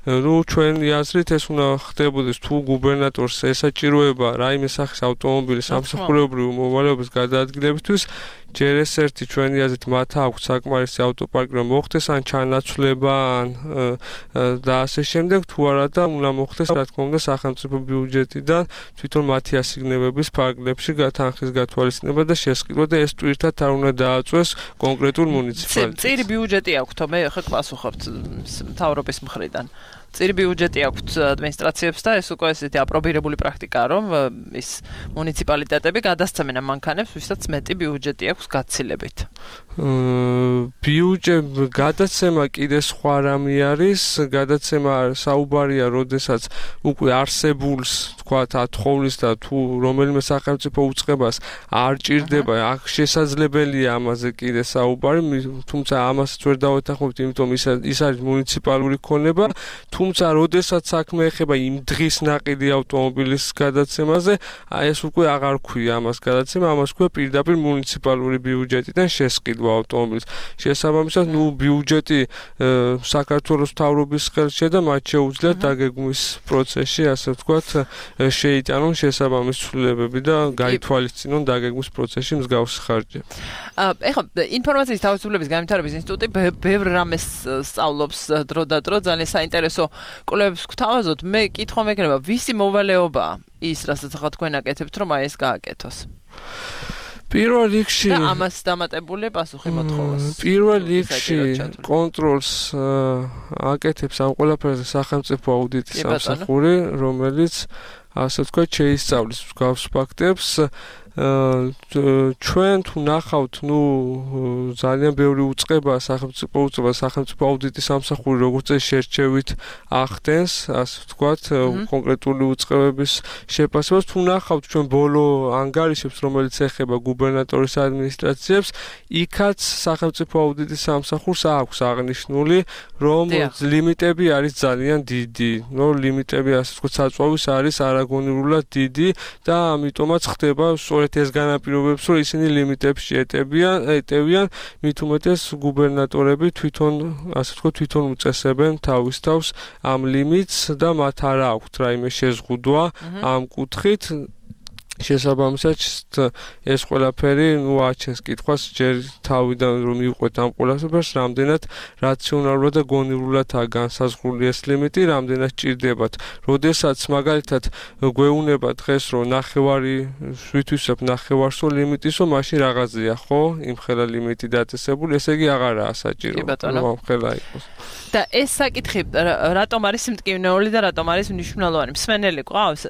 ნუ ჩვენი აზრით ეს უნდა ხდებოდეს, თუ გუბერნატორს ესაჭიროება რაიმე სახის ავტომობილის სამსახურეობრივი მოვალეობის გადაადგილებისთვის, ჯერ ეს ერთი ჩვენი აზრით მათ აქვს საკმარისი ავტოპარკი რომ მოხდეს ან ჩანაცვლება ან და ასე შემდეგ, თუ არა და უნდა მოხდეს რა თქმა უნდა სახელმწიფო ბიუჯეტიდან თვითონ მათი ასიგნებების ფარგლებში თანხის გათვალისწინება და შესყიდვა და ეს ტვირთად არ უნდა დააწვეს კონკრეტულ მუნიციპალიტეტს. წირი ბიუჯეტი აქვთ, მე ხე პასუხობთ მთავრობის მხრიდან. წირი ბიუჯეტი აქვთ ადმინისტრაციებს და ეს უკვე ესეთი აპრობირებული პრაქტიკაა, რომ ის მუნიციპალიტეტები გადასცემენ ამ მანქანებს, ვისაც მეტი ბიუჯეტი აქვს გაცილებით. ბიუჯეტი გადაცემა კიდე სხვა რამე არის, გადაცემა საუბარია, როდესაც უკვე არსებულს თქვათ ათხოვლის და თუ რომელიმე სახელმწიფო უწყებას არ ჭირდება, აქ შესაძლებელია ამაზე კიდე საუბარი, თუმცა ამასაც ვერ დავეთანხმებთ, იმიტომ ის ის არის მუნიციპალური ქონება. თუმცა როდესაც საქმე ეხება იმ დღის ნაყიდი ავტომობილის გადაცემაზე, აი ეს უკვე აღარ ქვია ამას გადაცემა, ამას ქვია პირდაპირ მუნიციპალური ბიუჯეტიდან შესყიდვა ავტომობილის. შესაბამისად, ნუ ბიუჯეტი საქართველოს მთავრობის ხელშია და მათ შეუძლიათ დაგეგმვის პროცესში, ასე ვთქვათ, შეიტანონ შესაბამის ცვლილებები და გაითვალისწინონ დაგეგმვის პროცესში მსგავსი ხარჯები. ეხლა ინფორმაციის თავისუფლების განვითარების ინსტიტუტი ბევრ რამეს სწავლობს დრო და დრო, ძალიან საინტერესო კვლევებს გვთავაზობთ. მე კითხვა მეკნება, ვისი მოვალეობაა ის, რასაც ახლა თქვენ აკეთებთ, რომ აი ეს გააკეთოს? პირველ რიგში და ამას დამატებული პასუხი მოთხოვას. პირველ რიგში კონტროლს აკეთებს ამ ყველაფერზე სახელმწიფო აუდიტის სამსახური, რომელიც ასე ვთქვათ შეისწავლის მსგავს ფაქტებს. ჩვენ თუ ნახავთ, ნუ ძალიან ბევრი უწყება, სახელმწიფო უწყება, სახელმწიფო აუდიტის სამსახური როგორც ეს შერჩევით ახდენს, ასე ვთქვათ, კონკრეტული უწყებების შეფასებას. თუ ნახავთ ჩვენ ბოლო ანგარიშებს, რომელიც ეხება გუბერნატორის ადმინისტრაციებს, იქაც სახელმწიფო აუდიტის სამსახურს აქვს აღნიშნული, რომ ლიმიტები არის ძალიან დიდი. ნუ ლიმიტები, ასე ვთქვათ, საწვავის არის არაგონიურად დიდი და ამიტომაც ხდება სწორედ ეს განაპირობებს, რომ ისინი ლიმიტებს შეეტებიან, ეტევიან, მით უმეტეს გუბერნატორები თვითონ, ასე ვთქვათ, თვითონ უწესებენ თავის თავს ამ ლიმიტს და მათ არ აქვთ რაიმე შეზღუდვა ამ კუთხით. შესაბამისად ეს ყველაფერი ნუ აჩენს კითხვას ჯერ თავიდან რომ მივყვეთ ამ ყველაფერს რამდენად რაციონალურად და გონივრულადაა განსაზღვრული ეს ლიმიტი, რამდენად ჭირდებათ. როდესაც მაგალითად გვეუნება დღეს რომ ნახევარი ვითვისებ ნახევარსო ლიმიტის, რომ მაშინ რაღაცია, ხო? იმხელა ლიმიტი დაწესებული, ესე იგი აღარაა საჭირო. იმხელა იყოს. და ეს საკითხი რატომ არის მტკივნეული და რატომ არის მნიშვნელოვანი? მსმენელი ყავს?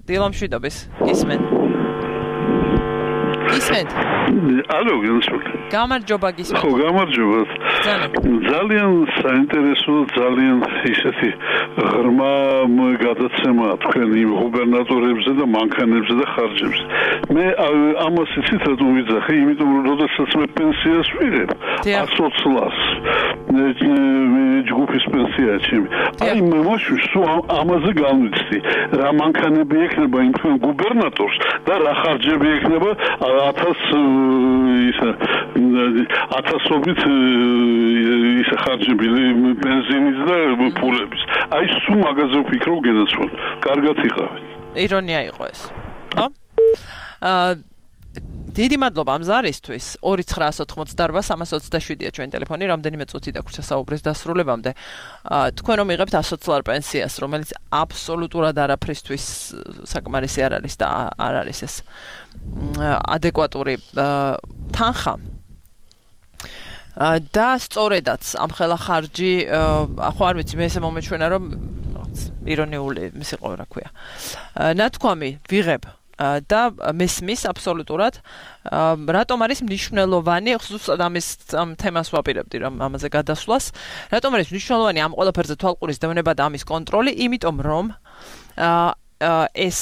დილამშვიდობის ისმენ. ისმენთ? ალო, გენსულ. გამარჯობა გისმენთ. ხო, გამარჯობა. ძალიან საინტერესო, ძალიან ისეთი ღრმა გადაცემა თქვენ იმ გუბერნატორებზე და მანქანებზე და ხარჯებზე. მე ამას იცით რატომ ვიძახე, იმიტომ რომ როდესაც მე პენსიას ვიღებ, ათს ლარს ჯგუფის პენსია ჩემი. აი მე მაშინ სულ ამაზე განვიცდი, რა მანქანები ექნება იმ თქვენ გუბერნატორს და რა ხარჯები ექნება ათას ისა ათასობით ისა ხარჯები ბენზინის და ფულების. აი სულ მაგაზე ვფიქრობ გენაცვალ. კარგად იყავით. ირონია იყო ეს. ხო? აა დიდი მადლობა ამ ზარისთვის. ორი ცხრა ოთხმოცდაოთხ სამას ოცდაშვიდია ჩვენ ტელეფონი, რამდენიმე წუთი დაგვრჩა საუბრის დასრულებამდე. თქვენ რომ იღებთ ათს ლარ პენსიას, რომელიც აბსოლუტურად არაფრისთვის საკმარისი არ არის და არ არის ეს ადეკვატური თანხა. და სწორედაც ამ ხელა ხარჯი, ხო არ ვიცი, მე ესე მომეჩვენა რომ ირონიული ის იყო, რა ქვია. ნათქვამი ვიღებ და მესმის აბსოლუტურად რატომ არის მნიშვნელოვანი, ხსოვს ამის ამ თემას ვაპირებდი რომ ამაზე გადასვლას, რატომ არის მნიშვნელოვანი ამ ყველაფერზე თვალყურის დევნება და ამის კონტროლი, იმიტომ რომ ეს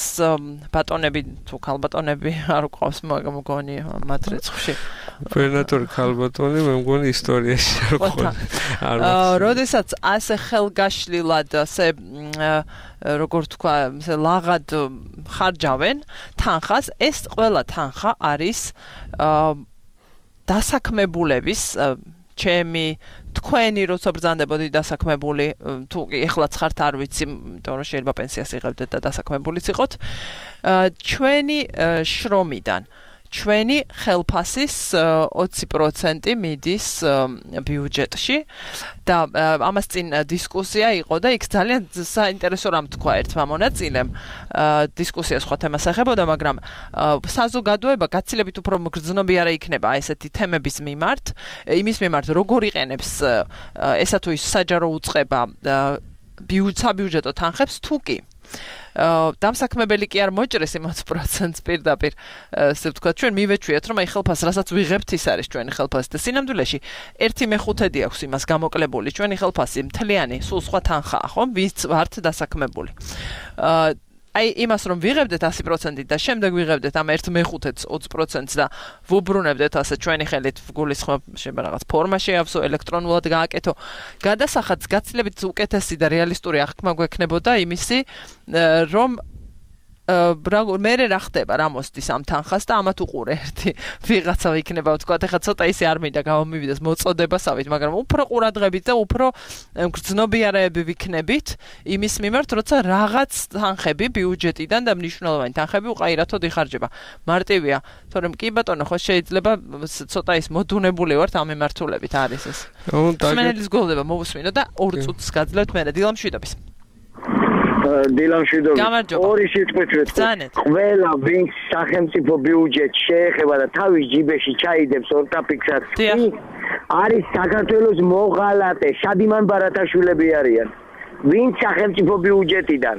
ბატონები თუ ქალბატონები არ უყავს მოგონი მათ რიცხვში. გუბერნატორი ქალბატონი მე მგონი ისტორიაში არ ყავს. როდესაც ასე ხელგაშლილად ასე როგორ თქვა, ასე ლაღად ხარჯავენ თანხას, ეს ყველა თანხა არის დასაქმებულების ჩემი თქვენი როცა ბრძანდებოდი დასაქმებული თუ ეხლაც ხართ არ ვიცი, იმიტომ რომ შეიძლება პენსიას იღებდეთ და დასაქმებულიც იყოთ, ჩვენი შრომიდან ჩვენი ხელფასის ოცი პროცენტი მიდის ბიუჯეტში და ამას წინ დისკუსია იყო და იქ ძალიან საინტერესო რამ თქვა ერთმა მონაწილემ. დისკუსია სხვა თემას ეხებოდა, მაგრამ საზოგადოება გაცილებით უფრო მგრძნობიარე იქნება ესეთი თემების მიმართ, იმის მიმართ როგორ იყენებს ესა თუ ის საჯარო უწყება საბიუჯეტო თანხებს თუ კი დამსაქმებელი კი არ მოჭრეს იმ ოცი პროცენტს პირდაპირ, ასე ვთქვათ, ჩვენ მივეჩვიათ, რომ აი ხელფასს, რასაც ვიღებთ, ის არის ჩვენი ხელფასი და სინამდვილეში ერთი მეხუთედი აქვს იმას გამოკლებული, ჩვენი ხელფასი მთლიანი, სულ სხვა თანხაა, ხო? ვინც ვართ დასაქმებული. აი იმას რომ ვიღებდეთ ათი პროცენტი და შემდეგ ვიღებდეთ ამ ერთ მეხუთედს ოცი პროცენტს და ვუბრუნებდეთ ასე ჩვენი ხელით გულისხმობ შეიძლება რაღაც ფორმა შეავსო, ელექტრონულად გააკეთო. გადასახადს გაცილებით უკეთესი და რეალისტური აღქმა გვექნებოდა იმისი, რომ მე რა ხდება, რა მოსდის ამ თანხას და ამათ უყურე ერთი ვიღაცა იქნება, ვთქვათ, ეხლა ცოტა ისე არ მინდა გამომივიდეს მოწოდებასავით, მაგრამ უფრო ყურადღებით და უფრო გრძნობიარეები ვიქნებით იმის მიმართ, როცა რაღაც თანხები ბიუჯეტიდან და მნიშვნელოვანი თანხები უყაირათოდ იხარჯება. მარტივია, თორემ კი ბატონო, ხო შეიძლება ცოტა ის მოდუნებული ვართ ამ მიმართულებით არის ეს. მსმენელის გულდება მოვუსმინო და ორ წუთს გაძლევთ მე დილამშვიდობის. დილამშვიდობის ორი სიტყვით ვეთქვი. ყველა ვინც სახელმწიფო ბიუჯეტს შეეხება და თავის ჯიბეში ჩაიდებს ორტაფიქსას, არის საქართველოს მოღალატე, შადიმან ბარათაშვილები არიან. ვინც სახელმწიფო ბიუჯეტიდან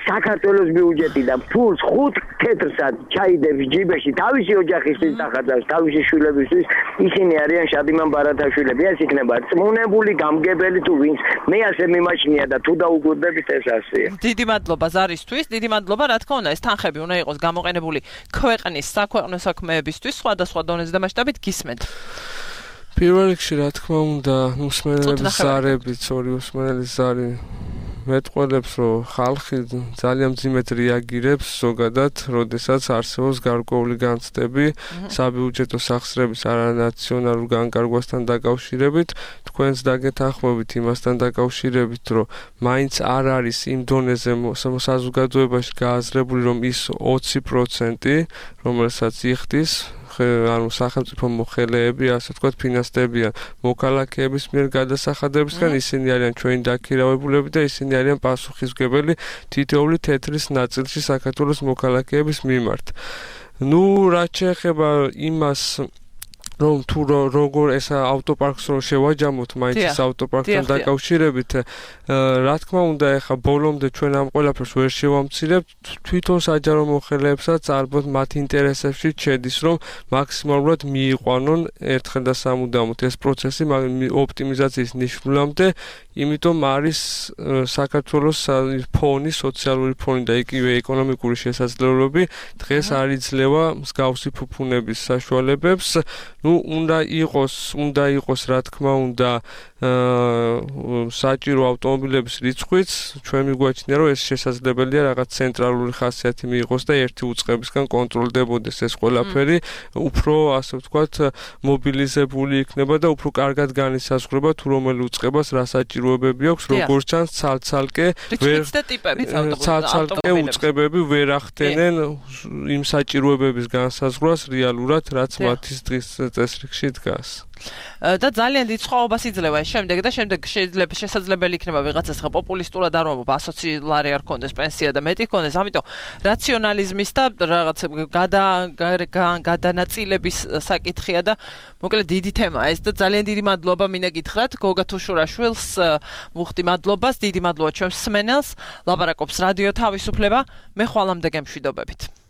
საქართველოს ბიუჯეტიდან ფულს ხუთ თეთრსად ჩაიდებს ჯიბეში თავისი ოჯახისთვის დახარჯავს თავისი შვილებისთვის ისინი არიან შადიმან ბარათაშვილები ეს იქნება წმუნებული გამგებელი თუ ვინც მე ასე მიმაჩნია და თუ დაუგვირდებით ეს ასეა დიდი მადლობა ზარისთვის დიდი მადლობა რა თქმა უნდა ეს თანხები უნდა იყოს გამოყენებული ქვეყნის საქვეყნო საქმეებისთვის სხვადასხვა დონეზე და მასშტაბით გისმენთ პირველ რიგში რა თქმა უნდა უსმენელების ზარებით ორი უსმენელის ზარი მეტყველებს რომ ხალხი ძალიან მძიმედ რეაგირებს ზოგადად როდესაც არსებობს გარკვეული განცდები საბიუჯეტო სახსრების არანაციონალურ განკარგვასთან დაკავშირებით თქვენს დაგეთანხმებით იმასთან დაკავშირებით რომ მაინც არ არის იმ დონეზე საზოგადოებაში გააზრებული რომ ის ოცი პროცენტი რომელსაც იხდის ანუ სახელმწიფო მოხელეები, ასე ვთქვათ, ფინანსდებიან მოქალაქეების მიერ გადასახადებისგან, ისინი არიან ჩვენი დაქირავებულები და ისინი არიან პასუხისმგებელი თითოეული თეთრის ნაწილში საქართველოს მოქალაქეების მიმართ. ნუ რაც შეეხება იმას რომ თუ როგორ ეს ავტოპარკს რო შევაჯამოთ მაინც ეს ავტოპარკთან დაკავშირებით რა თქმა უნდა ეხა ბოლომდე ჩვენ ამ ყველაფერს ვერ შევამცირებთ თვითონ საჯარო მოხელეებსაც ალბათ მათ ინტერესებში შედის რომ მაქსიმალურად მიიყვანონ ერთხელ და სამუდამოდ ეს პროცესი ოპტიმიზაციის ნიშნულამდე იმიტომ არის საქართველოს ფონი სოციალური ფონი და იგივე ეკონომიკური შესაძლებლობები დღეს არ იძლევა მსგავსი ფუფუნების საშუალებებს ну უნდა იყოს უნდა იყოს რა თქმა უნდა საჭირო ავტომობილების რიცხვიც ჩვენ მიგვაჩნია რომ ეს შესაძლებელია რაღაც ცენტრალური ხასიათი მიიღოს და ერთი უწყებისგან კონტროლდებოდეს ეს ყველაფერი უფრო ასე ვთქვათ მობილიზებული იქნება და უფრო კარგად განისაზღვრება თუ რომელი უწყებას რა საჭიროებები აქვს როგორც ჩანს ცალ-ცალკე ვერ ცალ-ცალკე უწყებები ვერ ახდენენ იმ საჭიროებების განსაზღვრას რეალურად რაც მათის დღის წესრიგში დგას და ძალიან დიდ სხვაობას იძლევა შემდეგ და შემდეგ შეიძლება შესაძლებელი იქნება ვიღაცას ხა პოპულისტურად არ ვამბობ ასოციალარი არ კონდეს პენსია და მეტი კონდეს ამიტომ რაციონალიზმის და რაღაც გადანაწილების საკითხია და მოკლედ დიდი თემაა ეს და ძალიან დიდი მადლობა მინდა გითხრათ გოგა თუშურაშვილს მუხტი მადლობას დიდი მადლობა ჩვენს მსმენელს ლაპარაკობს რადიო თავისუფლება მე ხვალამდე გემშვიდობებით